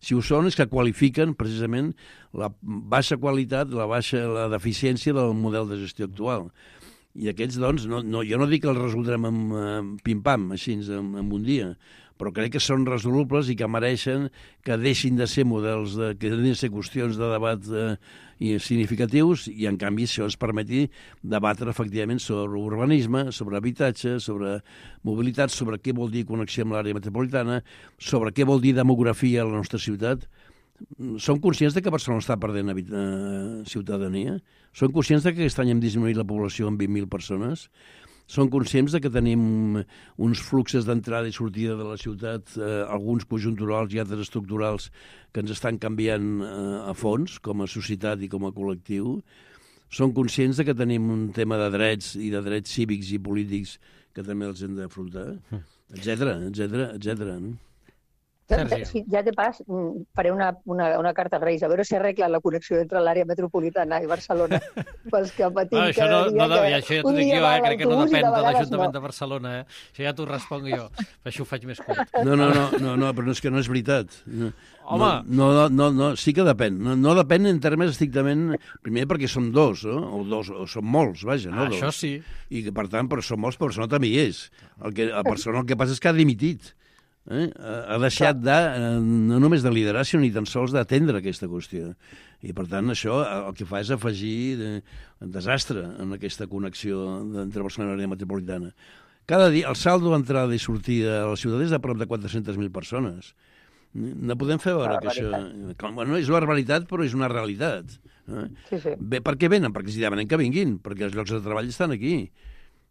Si ho són és que qualifiquen precisament la baixa qualitat, la baixa la deficiència del model de gestió actual. I aquests, doncs, no, no, jo no dic que els resoldrem amb, amb pim-pam, així, en, en un dia, però crec que són resolubles i que mereixen que deixin de ser models, de, que deixin de ser qüestions de debat eh, i significatius i, en canvi, això ens permeti debatre efectivament sobre urbanisme, sobre habitatge, sobre mobilitat, sobre què vol dir connexió amb l'àrea metropolitana, sobre què vol dir demografia a la nostra ciutat. Som conscients de que Barcelona està perdent eh, ciutadania? Som conscients de que aquest any hem disminuït la població en vint mil persones? Som conscients de que tenim uns fluxos d'entrada i sortida de la ciutat, eh, alguns conjunturals i altres estructurals, que ens estan canviant eh, a fons, com a societat i com a col·lectiu? Som conscients de que tenim un tema de drets i de drets cívics i polítics que també els hem d'afrontar? Etcètera, etcètera, etcètera. Sergi. Sí, ja de pas, faré una, una, una carta als Reis, a veure si arregla la connexió entre l'àrea metropolitana i Barcelona, pels que patim Ah, això cada no, dia. no, Que ja, això ja t'ho un dic dia jo, va eh? a Crec que no l'autobús i depèn de vegades l'Ajuntament no. de Barcelona, eh? Això ja t'ho responc jo. Això ho faig més curt. No, no, no, no, no, però és que no és veritat. No, Home. No, no, no, no, sí que depèn. No, no depèn en termes estrictament... Primer perquè som dos, no? O dos, o som molts, vaja, no Ah, dos. això sí. I que, per tant, però som molts, però Barcelona també hi és. El que, a Barcelona el que passa és que ha dimitit. Eh? Ha deixat de, no només de liderar, sinó ni tan sols d'atendre aquesta qüestió. I, per tant, això el que fa és afegir de, desastre en aquesta connexió entre Barcelona i l'àrea metropolitana. Cada dia, el saldo d'entrada i sortida a la ciutat és de prop de quatre-centes mil persones. No podem fer veure que això... Bueno, és la realitat, però és una realitat. Eh? Sí, sí. Bé, per què venen? Perquè si demanen que vinguin, perquè els llocs de treball estan aquí.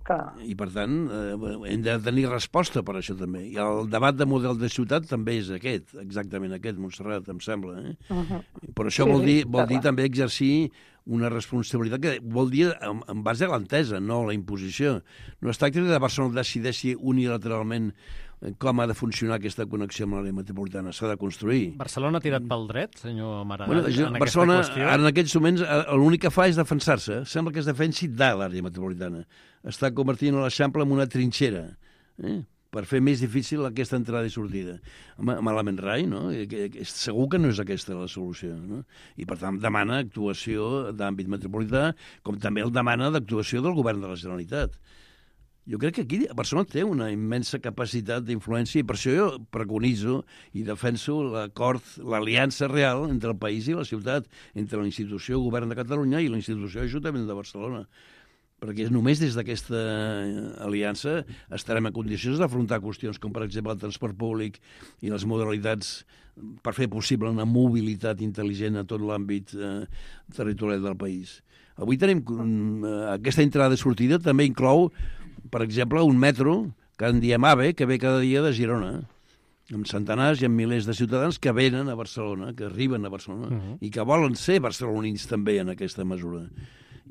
Clar. I, per tant, eh, hem de tenir resposta per això també. I el debat de model de ciutat també és aquest, exactament aquest, Montserrat, em sembla. Eh? Uh -huh. Però això Sí, vol dir, sí, vol dir clar. també exercir una responsabilitat que vol dir en, en base a l'entesa, no a la imposició. No es tracta que Barcelona decideixi unilateralment com ha de funcionar aquesta connexió amb l'àrea metropolitana. S'ha de construir. Barcelona ha tirat pel dret, senyor Maragall, Bueno, jo, en Barcelona, aquesta qüestió? ara en aquests moments, eh, l'únic que fa és defensar-se. Sembla que es defensi de l'àrea metropolitana. Està convertint l'Eixample en una trinxera, eh? per fer més difícil aquesta entrada i sortida. Home, malament rai, no? Que, que, segur que no és aquesta la solució, no? I, per tant, demana actuació d'àmbit metropolità, com també el demana d'actuació del govern de la Generalitat. Jo crec que aquí Barcelona té una immensa capacitat d'influència i per això jo preconitzo i defenso l'acord, l'aliança real entre el país i la ciutat, entre la institució Govern de Catalunya i la institució Ajuntament de Barcelona. Perquè només des d'aquesta aliança estarem en condicions d'afrontar qüestions com, per exemple, el transport públic i les modalitats per fer possible una mobilitat intel·ligent a tot l'àmbit eh, territorial del país. Avui tenim eh, aquesta entrada i sortida també inclou, per exemple, un metro, que en diem AVE, que ve cada dia de Girona, amb centenars i amb milers de ciutadans que venen a Barcelona, que arriben a Barcelona, uh-huh. i que volen ser barcelonins també en aquesta mesura.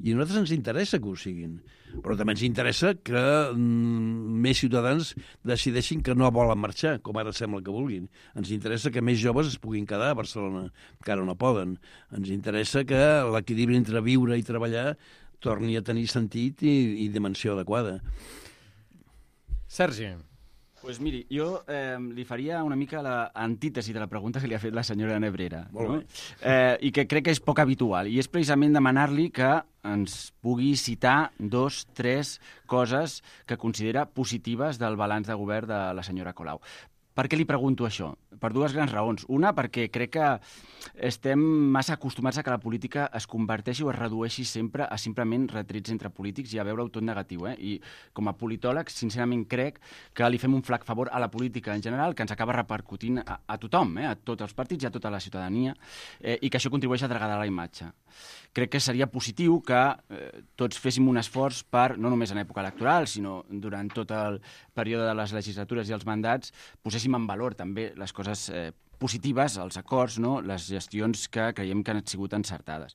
I a nosaltres ens interessa que ho siguin, però també ens interessa que mm, més ciutadans decideixin que no volen marxar, com ara sembla que vulguin. Ens interessa que més joves es puguin quedar a Barcelona, que ara no poden. Ens interessa que l'equilibri entre viure i treballar torni a tenir sentit i, i dimensió adequada. Sergi. Pues miri, jo eh, li faria una mica l'antítesi de la pregunta que li ha fet la senyora Nebrera. Molt no? bé. Eh, I que crec que és poc habitual. I és precisament demanar-li que ens pugui citar dos, tres coses que considera positives del balanç de govern de la senyora Colau. Per què li pregunto això? Per dues grans raons. Una, perquè crec que estem massa acostumats a que la política es converteixi o es redueixi sempre a simplement retrets entre polítics i a veure-ho tot negatiu. Eh? I com a politòleg, sincerament crec que li fem un flac favor a la política en general, que ens acaba repercutint a, a tothom, eh? a tots els partits i a tota la ciutadania, eh? i que això contribueix a degradar la imatge. Crec que seria positiu que eh, tots féssim un esforç per, no només en època electoral, sinó durant tot el període de les legislatures i els mandats, poséssim en valor també les coses eh, positives, els acords, no? Les gestions que creiem que han sigut encertades.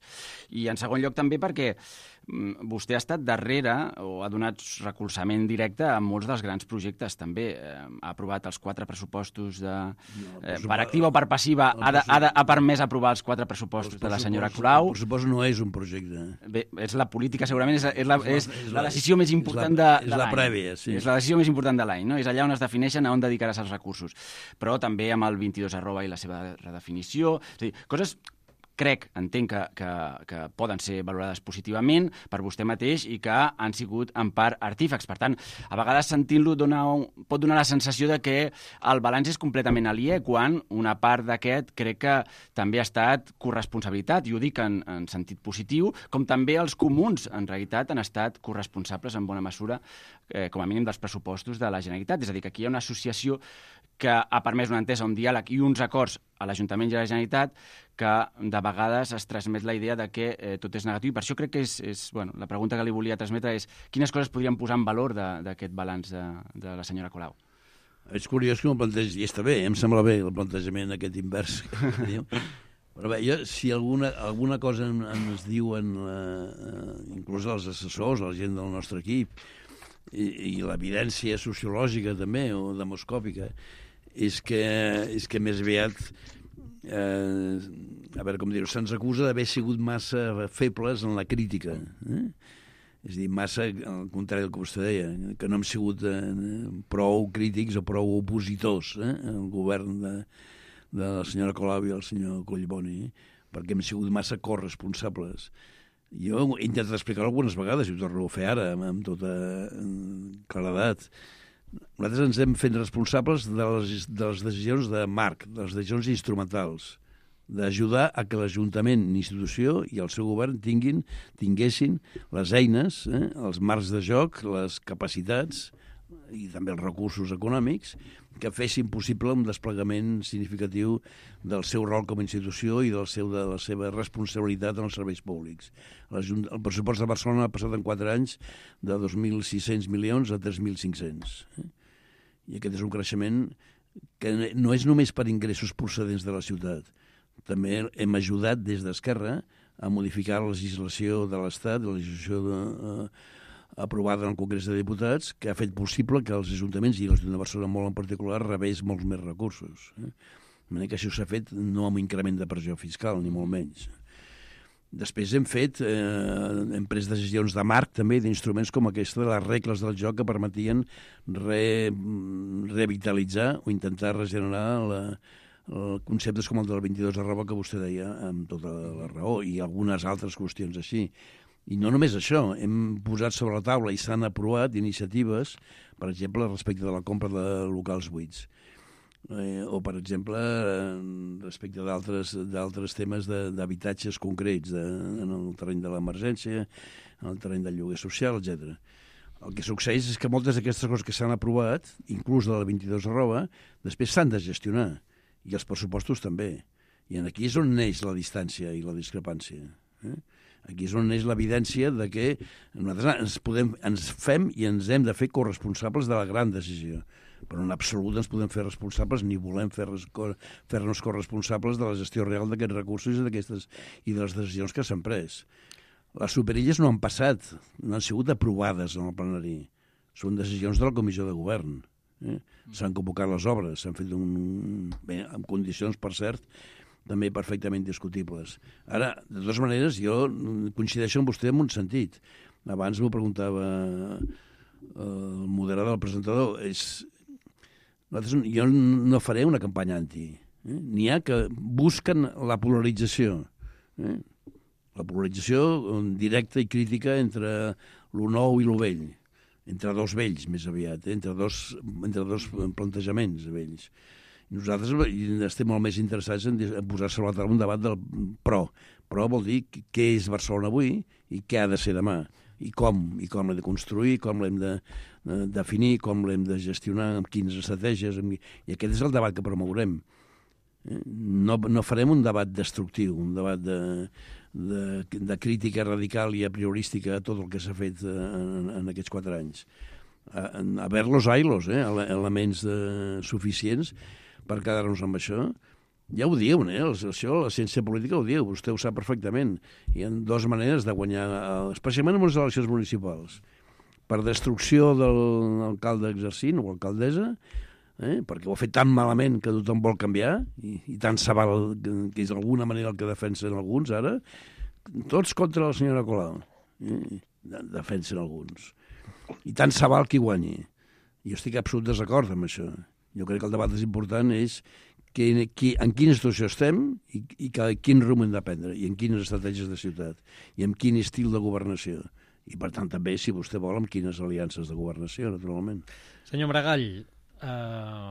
I en segon lloc també perquè mm, vostè ha estat darrere o ha donat recolzament directe a molts dels grans projectes també. Eh, ha aprovat els quatre pressupostos de, eh, per activa o per passiva, ha, de, ha, de, ha permès aprovar els quatre pressupostos de la senyora Colau. El pressupost no és un projecte. Bé, és la política, segurament, és, és, la, és, és la, la, la decisió més important és la, de, és de la l'any. prèvia, sí. És la decisió més important de l'any, no? És allà on es defineixen a on dedicaràs els recursos. Però també amb el vint-i-dos arroba i la seva redefinició. És a dir, coses crec, entenc que, que, que poden ser valorades positivament per vostè mateix i que han sigut en part artífecs. Per tant, a vegades sentint-lo dona un, pot donar la sensació de que el balanç és completament aliè, quan una part d'aquest crec que també ha estat corresponsabilitat, i ho dic en, en sentit positiu, com també els comuns, en realitat, han estat corresponsables en bona mesura, eh, com a mínim, dels pressupostos de la Generalitat. És a dir, que aquí hi ha una associació que ha permès una entesa, un diàleg i uns acords a l'Ajuntament i a la Generalitat que de vegades es transmet la idea de que eh, tot és negatiu. I per això crec que és, és bueno, la pregunta que li volia transmetre és quines coses podríem posar en valor d'aquest balanç de, de la senyora Colau. És curiós que m'ho plantegi, i està bé, em sembla bé el plantejament aquest invers. Però bé, jo, si alguna, alguna cosa ens diuen, eh, inclús els assessors, la gent del nostre equip, i, i l'evidència sociològica també, o demoscòpica, és que, és que més aviat, eh, a veure com dir-ho, se'ns acusa d'haver sigut massa febles en la crítica. Eh? És a dir, massa, al contrari del que vostè deia, que no hem sigut eh, prou crítics o prou opositors eh, al govern de, de la senyora Colau i el senyor Collboni, perquè hem sigut massa corresponsables. Jo he intentat explicar-ho algunes vegades, i ho torno a fer ara, amb tota claredat. Nosaltres ens hem fet responsables de les, de les decisions de marc, de les decisions instrumentals, d'ajudar a que l'Ajuntament, l'institució i el seu govern tinguin, tinguessin les eines, eh, els marcs de joc, les capacitats i també els recursos econòmics que fessin possible un desplegament significatiu del seu rol com a institució i del seu, de la seva responsabilitat en els serveis públics. El pressupost de Barcelona ha passat en quatre anys de dos mil sis-cents milions a tres mil cinc-cents. Eh? I aquest és un creixement que no és només per ingressos procedents de la ciutat. També hem ajudat des d'Esquerra a modificar la legislació de l'Estat, la legislació de, eh, aprovada en el Congrés de Diputats, que ha fet possible que els ajuntaments, i l'Ajuntament de Barcelona molt en particular, rebés molts més recursos. Eh? De manera que això s'ha fet no amb un increment de pressió fiscal, ni molt menys. Després hem fet, eh, hem pres decisions de marc també, d'instruments com aquesta de les regles del joc que permetien re, revitalitzar o intentar regenerar la, conceptes com el del vint-i-dos arroba que vostè deia amb tota la raó i algunes altres qüestions així. I no només això, hem posat sobre la taula i s'han aprovat iniciatives, per exemple, respecte de la compra de locals buits. Eh, o, per exemple, respecte d'altres temes d'habitatges concrets de, en el terreny de l'emergència, en el terreny del lloguer social, etcètera. El que succeeix és que moltes d'aquestes coses que s'han aprovat, inclús de la vint-i-dos arroba, després s'han de gestionar. I els pressupostos també. I aquí és on neix la distància i la discrepància. Eh? Aquí és on neix l'evidència de que nosaltres ens, podem, ens fem i ens hem de fer corresponsables de la gran decisió. Però en absolut ens podem fer responsables ni volem fer-nos fer corresponsables de la gestió real d'aquests recursos i, d'aquestes, i de les decisions que s'han pres. Les superilles no han passat, no han sigut aprovades en el plenari. Són decisions de la Comissió de Govern. Eh? S'han convocat les obres, s'han fet un... bé, en condicions, per cert, també perfectament discutibles. Ara, de totes maneres, jo coincideixo amb vostè en un sentit. Abans m'ho preguntava el moderador, el presentador. És... Nosaltres, jo no faré una campanya anti. Eh? N'hi ha que busquen la polarització. Eh? La polarització directa i crítica entre lo nou i lo vell. Entre dos vells, més aviat, eh? entre, dos, entre dos plantejaments vells. Nosaltres estem molt més interessats en posar sobre la taula un debat del pro. Pro vol dir què és Barcelona avui i què ha de ser demà. I com, i com l'hem de construir, com l'hem de, de definir, com l'hem de gestionar, amb quines estratègies. Amb... I aquest és el debat que promourem. No, no farem un debat destructiu, un debat de, de, de crítica radical i a priorística a tot el que s'ha fet en, en aquests quatre anys. A, a ver-los ailos, eh? Elements de, suficients per quedar-nos amb això. Ja ho diuen, eh? Això, la ciència política ho diu, vostè ho sap perfectament. Hi ha dues maneres de guanyar, especialment en les eleccions municipals. Per destrucció de l'alcalde exercint o alcaldessa, eh? perquè ho ha fet tan malament que tothom vol canviar, i, i tant se val que, que és d'alguna manera el que defensen alguns ara, tots contra la senyora Colau. Eh? Defensen alguns. I tant se val qui guanyi. Jo estic absolut desacord amb això. Jo crec que el debat més important és que, que, en quina situació estem i, i que, quin rumb hem de prendre, i en quines estratègies de ciutat, i amb quin estil de governació. I, per tant, també, si vostè vol, amb quines aliances de governació, naturalment. Senyor Maragall, eh,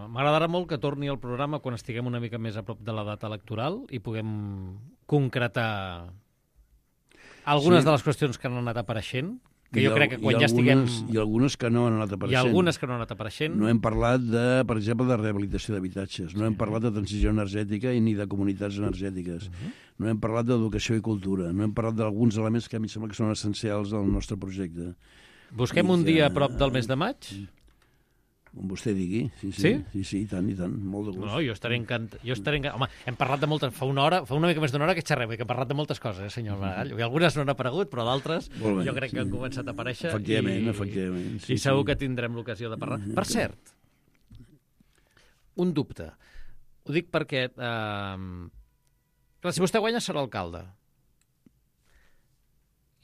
m'agradarà molt que torni al programa quan estiguem una mica més a prop de la data electoral i puguem concretar algunes sí. de les qüestions que han anat apareixent, que jo crec que quan ja estiguem... I algunes que no han anat apareixent. I algunes que no han anat apareixent. No hem parlat, de, per exemple, de rehabilitació d'habitatges. No hem parlat de transició energètica i ni de comunitats energètiques. Uh-huh. No hem parlat d'educació i cultura. No hem parlat d'alguns elements que a mi em sembla que són essencials al nostre projecte. Busquem I un que... dia a prop del mes de maig? Com vostè digui. Sí, sí, sí? Sí, sí, i tant, i tant. Molt de gust. No, jo estaré encantat. Jo estaré encantat. Home, hem parlat de moltes... Fa una hora, fa una mica més d'una hora que xerrem, que hem parlat de moltes coses, eh, senyor Maragall. I algunes no han aparegut, però d'altres jo crec sí. que han començat a aparèixer. Efectivament, i, efectivament. Sí, I segur sí. que tindrem l'ocasió de parlar. Per cert, un dubte. Ho dic perquè... Eh, clar, si vostè guanya serà alcalde.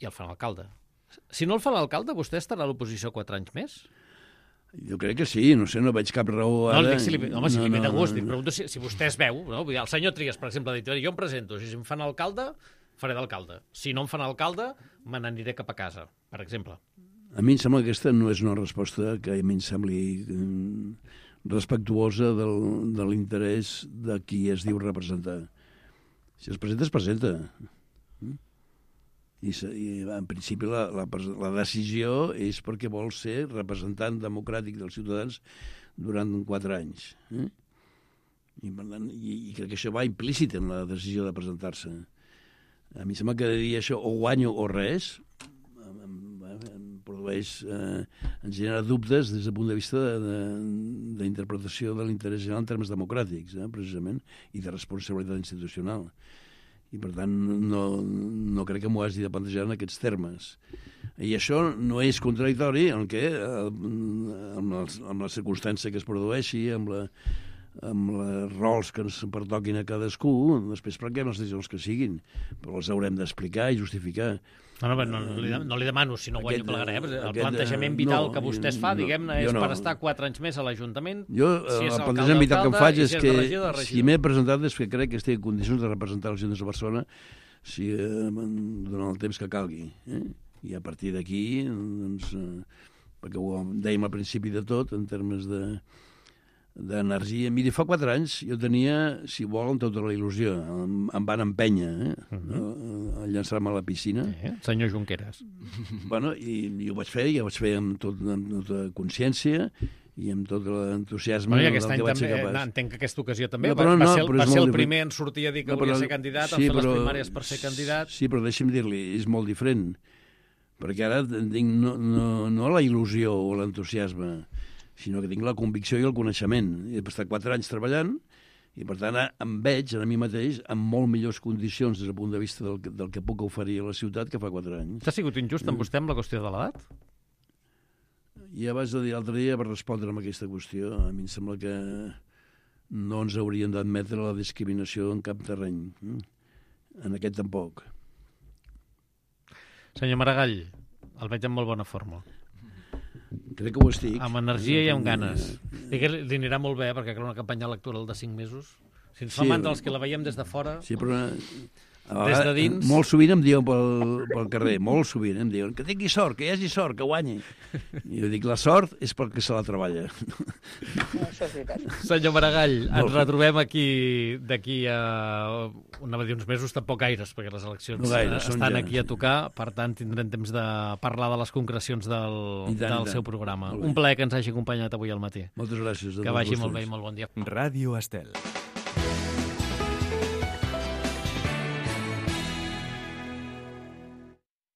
I el fan alcalde. Si no el fa l'alcalde, vostè estarà a l'oposició quatre anys més? Jo crec que sí, no sé, no veig cap raó ara... No, dic, si li, home, si no, li ve no, de gust, no, dic, pregunto si, si vostè es veu, no? Vull dir, el senyor Trias, per exemple, ha dit, jo em presento, si em fan alcalde, faré d'alcalde. Si no em fan alcalde, me n'aniré cap a casa, per exemple. A mi em sembla que aquesta no és una resposta que a mi em sembli eh, respectuosa del, de l'interès de qui es diu representar. Si es presenta, es presenta. I, i en principi la, la, la decisió és perquè vol ser representant democràtic dels ciutadans durant quatre anys. Eh? I, per tant, i, I crec que això va implícit en la decisió de presentar-se. A mi sembla que dir això o guanyo o res em, em, em produeix, eh, ens genera dubtes des del punt de vista d'interpretació de, de, de l'interès general en termes democràtics, eh, precisament, i de responsabilitat institucional. I, per tant, no, no crec que m'ho hagi de plantejar en aquests termes. I això no és contradictori en què, amb, els, amb la circumstància que es produeixi, amb, la, amb els rols que ens pertoquin a cadascú, després prenguem les decisions que siguin, però les haurem d'explicar i justificar. No, no, no, no, li, no li demano si no guanyo plegaré. El aquest, plantejament vital no, que vostè es fa, no, diguem-ne, és no. per estar quatre anys més a l'Ajuntament. Jo, si el plantejament vital que em faig és si que és si m'he presentat és que crec que estic en condicions de representar els ciutadans de Barcelona si, eh, durant el temps que calgui. Eh? I a partir d'aquí, doncs, eh, perquè ho dèiem al principi de tot, en termes de d'energia. Miri, fa quatre anys jo tenia, si volen, tota la il·lusió. Em, em van empènyer eh? uh -huh. a, a llançar-me a la piscina. Eh, senyor Junqueras. Bueno, i, i ho vaig fer, i ho vaig fer amb, tot, amb tota consciència i amb tot l'entusiasme bueno, i aquest del any que vaig ser també, capaç. Entenc que aquesta ocasió també no, va, però, va no, ser, el, va ser el primer en sortir a dir que no, volia però, ser candidat, sí, en fer però, les primàries per ser candidat. Sí, però deixi'm dir-li, és molt diferent. Perquè ara tinc no, no, no la il·lusió o l'entusiasme, sinó que tinc la convicció i el coneixement. He estat quatre anys treballant i, per tant, em veig a mi mateix en molt millors condicions des del punt de vista del, del que puc oferir a la ciutat que fa quatre anys. T'ha sigut injust amb vostè amb la qüestió de l'edat? I abans de dir l'altre dia, per respondre a aquesta qüestió, a mi em sembla que no ens haurien d'admetre la discriminació en cap terreny. En aquest tampoc. Senyor Maragall, el veig en molt bona forma. Crec que ho estic. Amb energia i amb ganes. I que li anirà molt bé, perquè creu una campanya electoral de cinc mesos. Si ens fa Sí, mandra els que la veiem des de fora... Sí, però... Des de dins... Molt sovint em diuen pel, pel carrer, molt sovint em diuen que tingui sort, que hi hagi sort, que guanyi. I jo dic, la sort és perquè se la treballa. No, això és veritat. Senyor Maragall, ens retrobem aquí d'aquí a... Anava a dir uns mesos, tampoc gaires, perquè les eleccions no gaire, estan ja. aquí a tocar, per tant tindrem temps de parlar de les concrecions del, I tant, del i tant. seu programa. Un plaer que ens hagi acompanyat avui al matí. Moltes gràcies. Que vagi molt bé i molt bon dia. Ràdio Estel.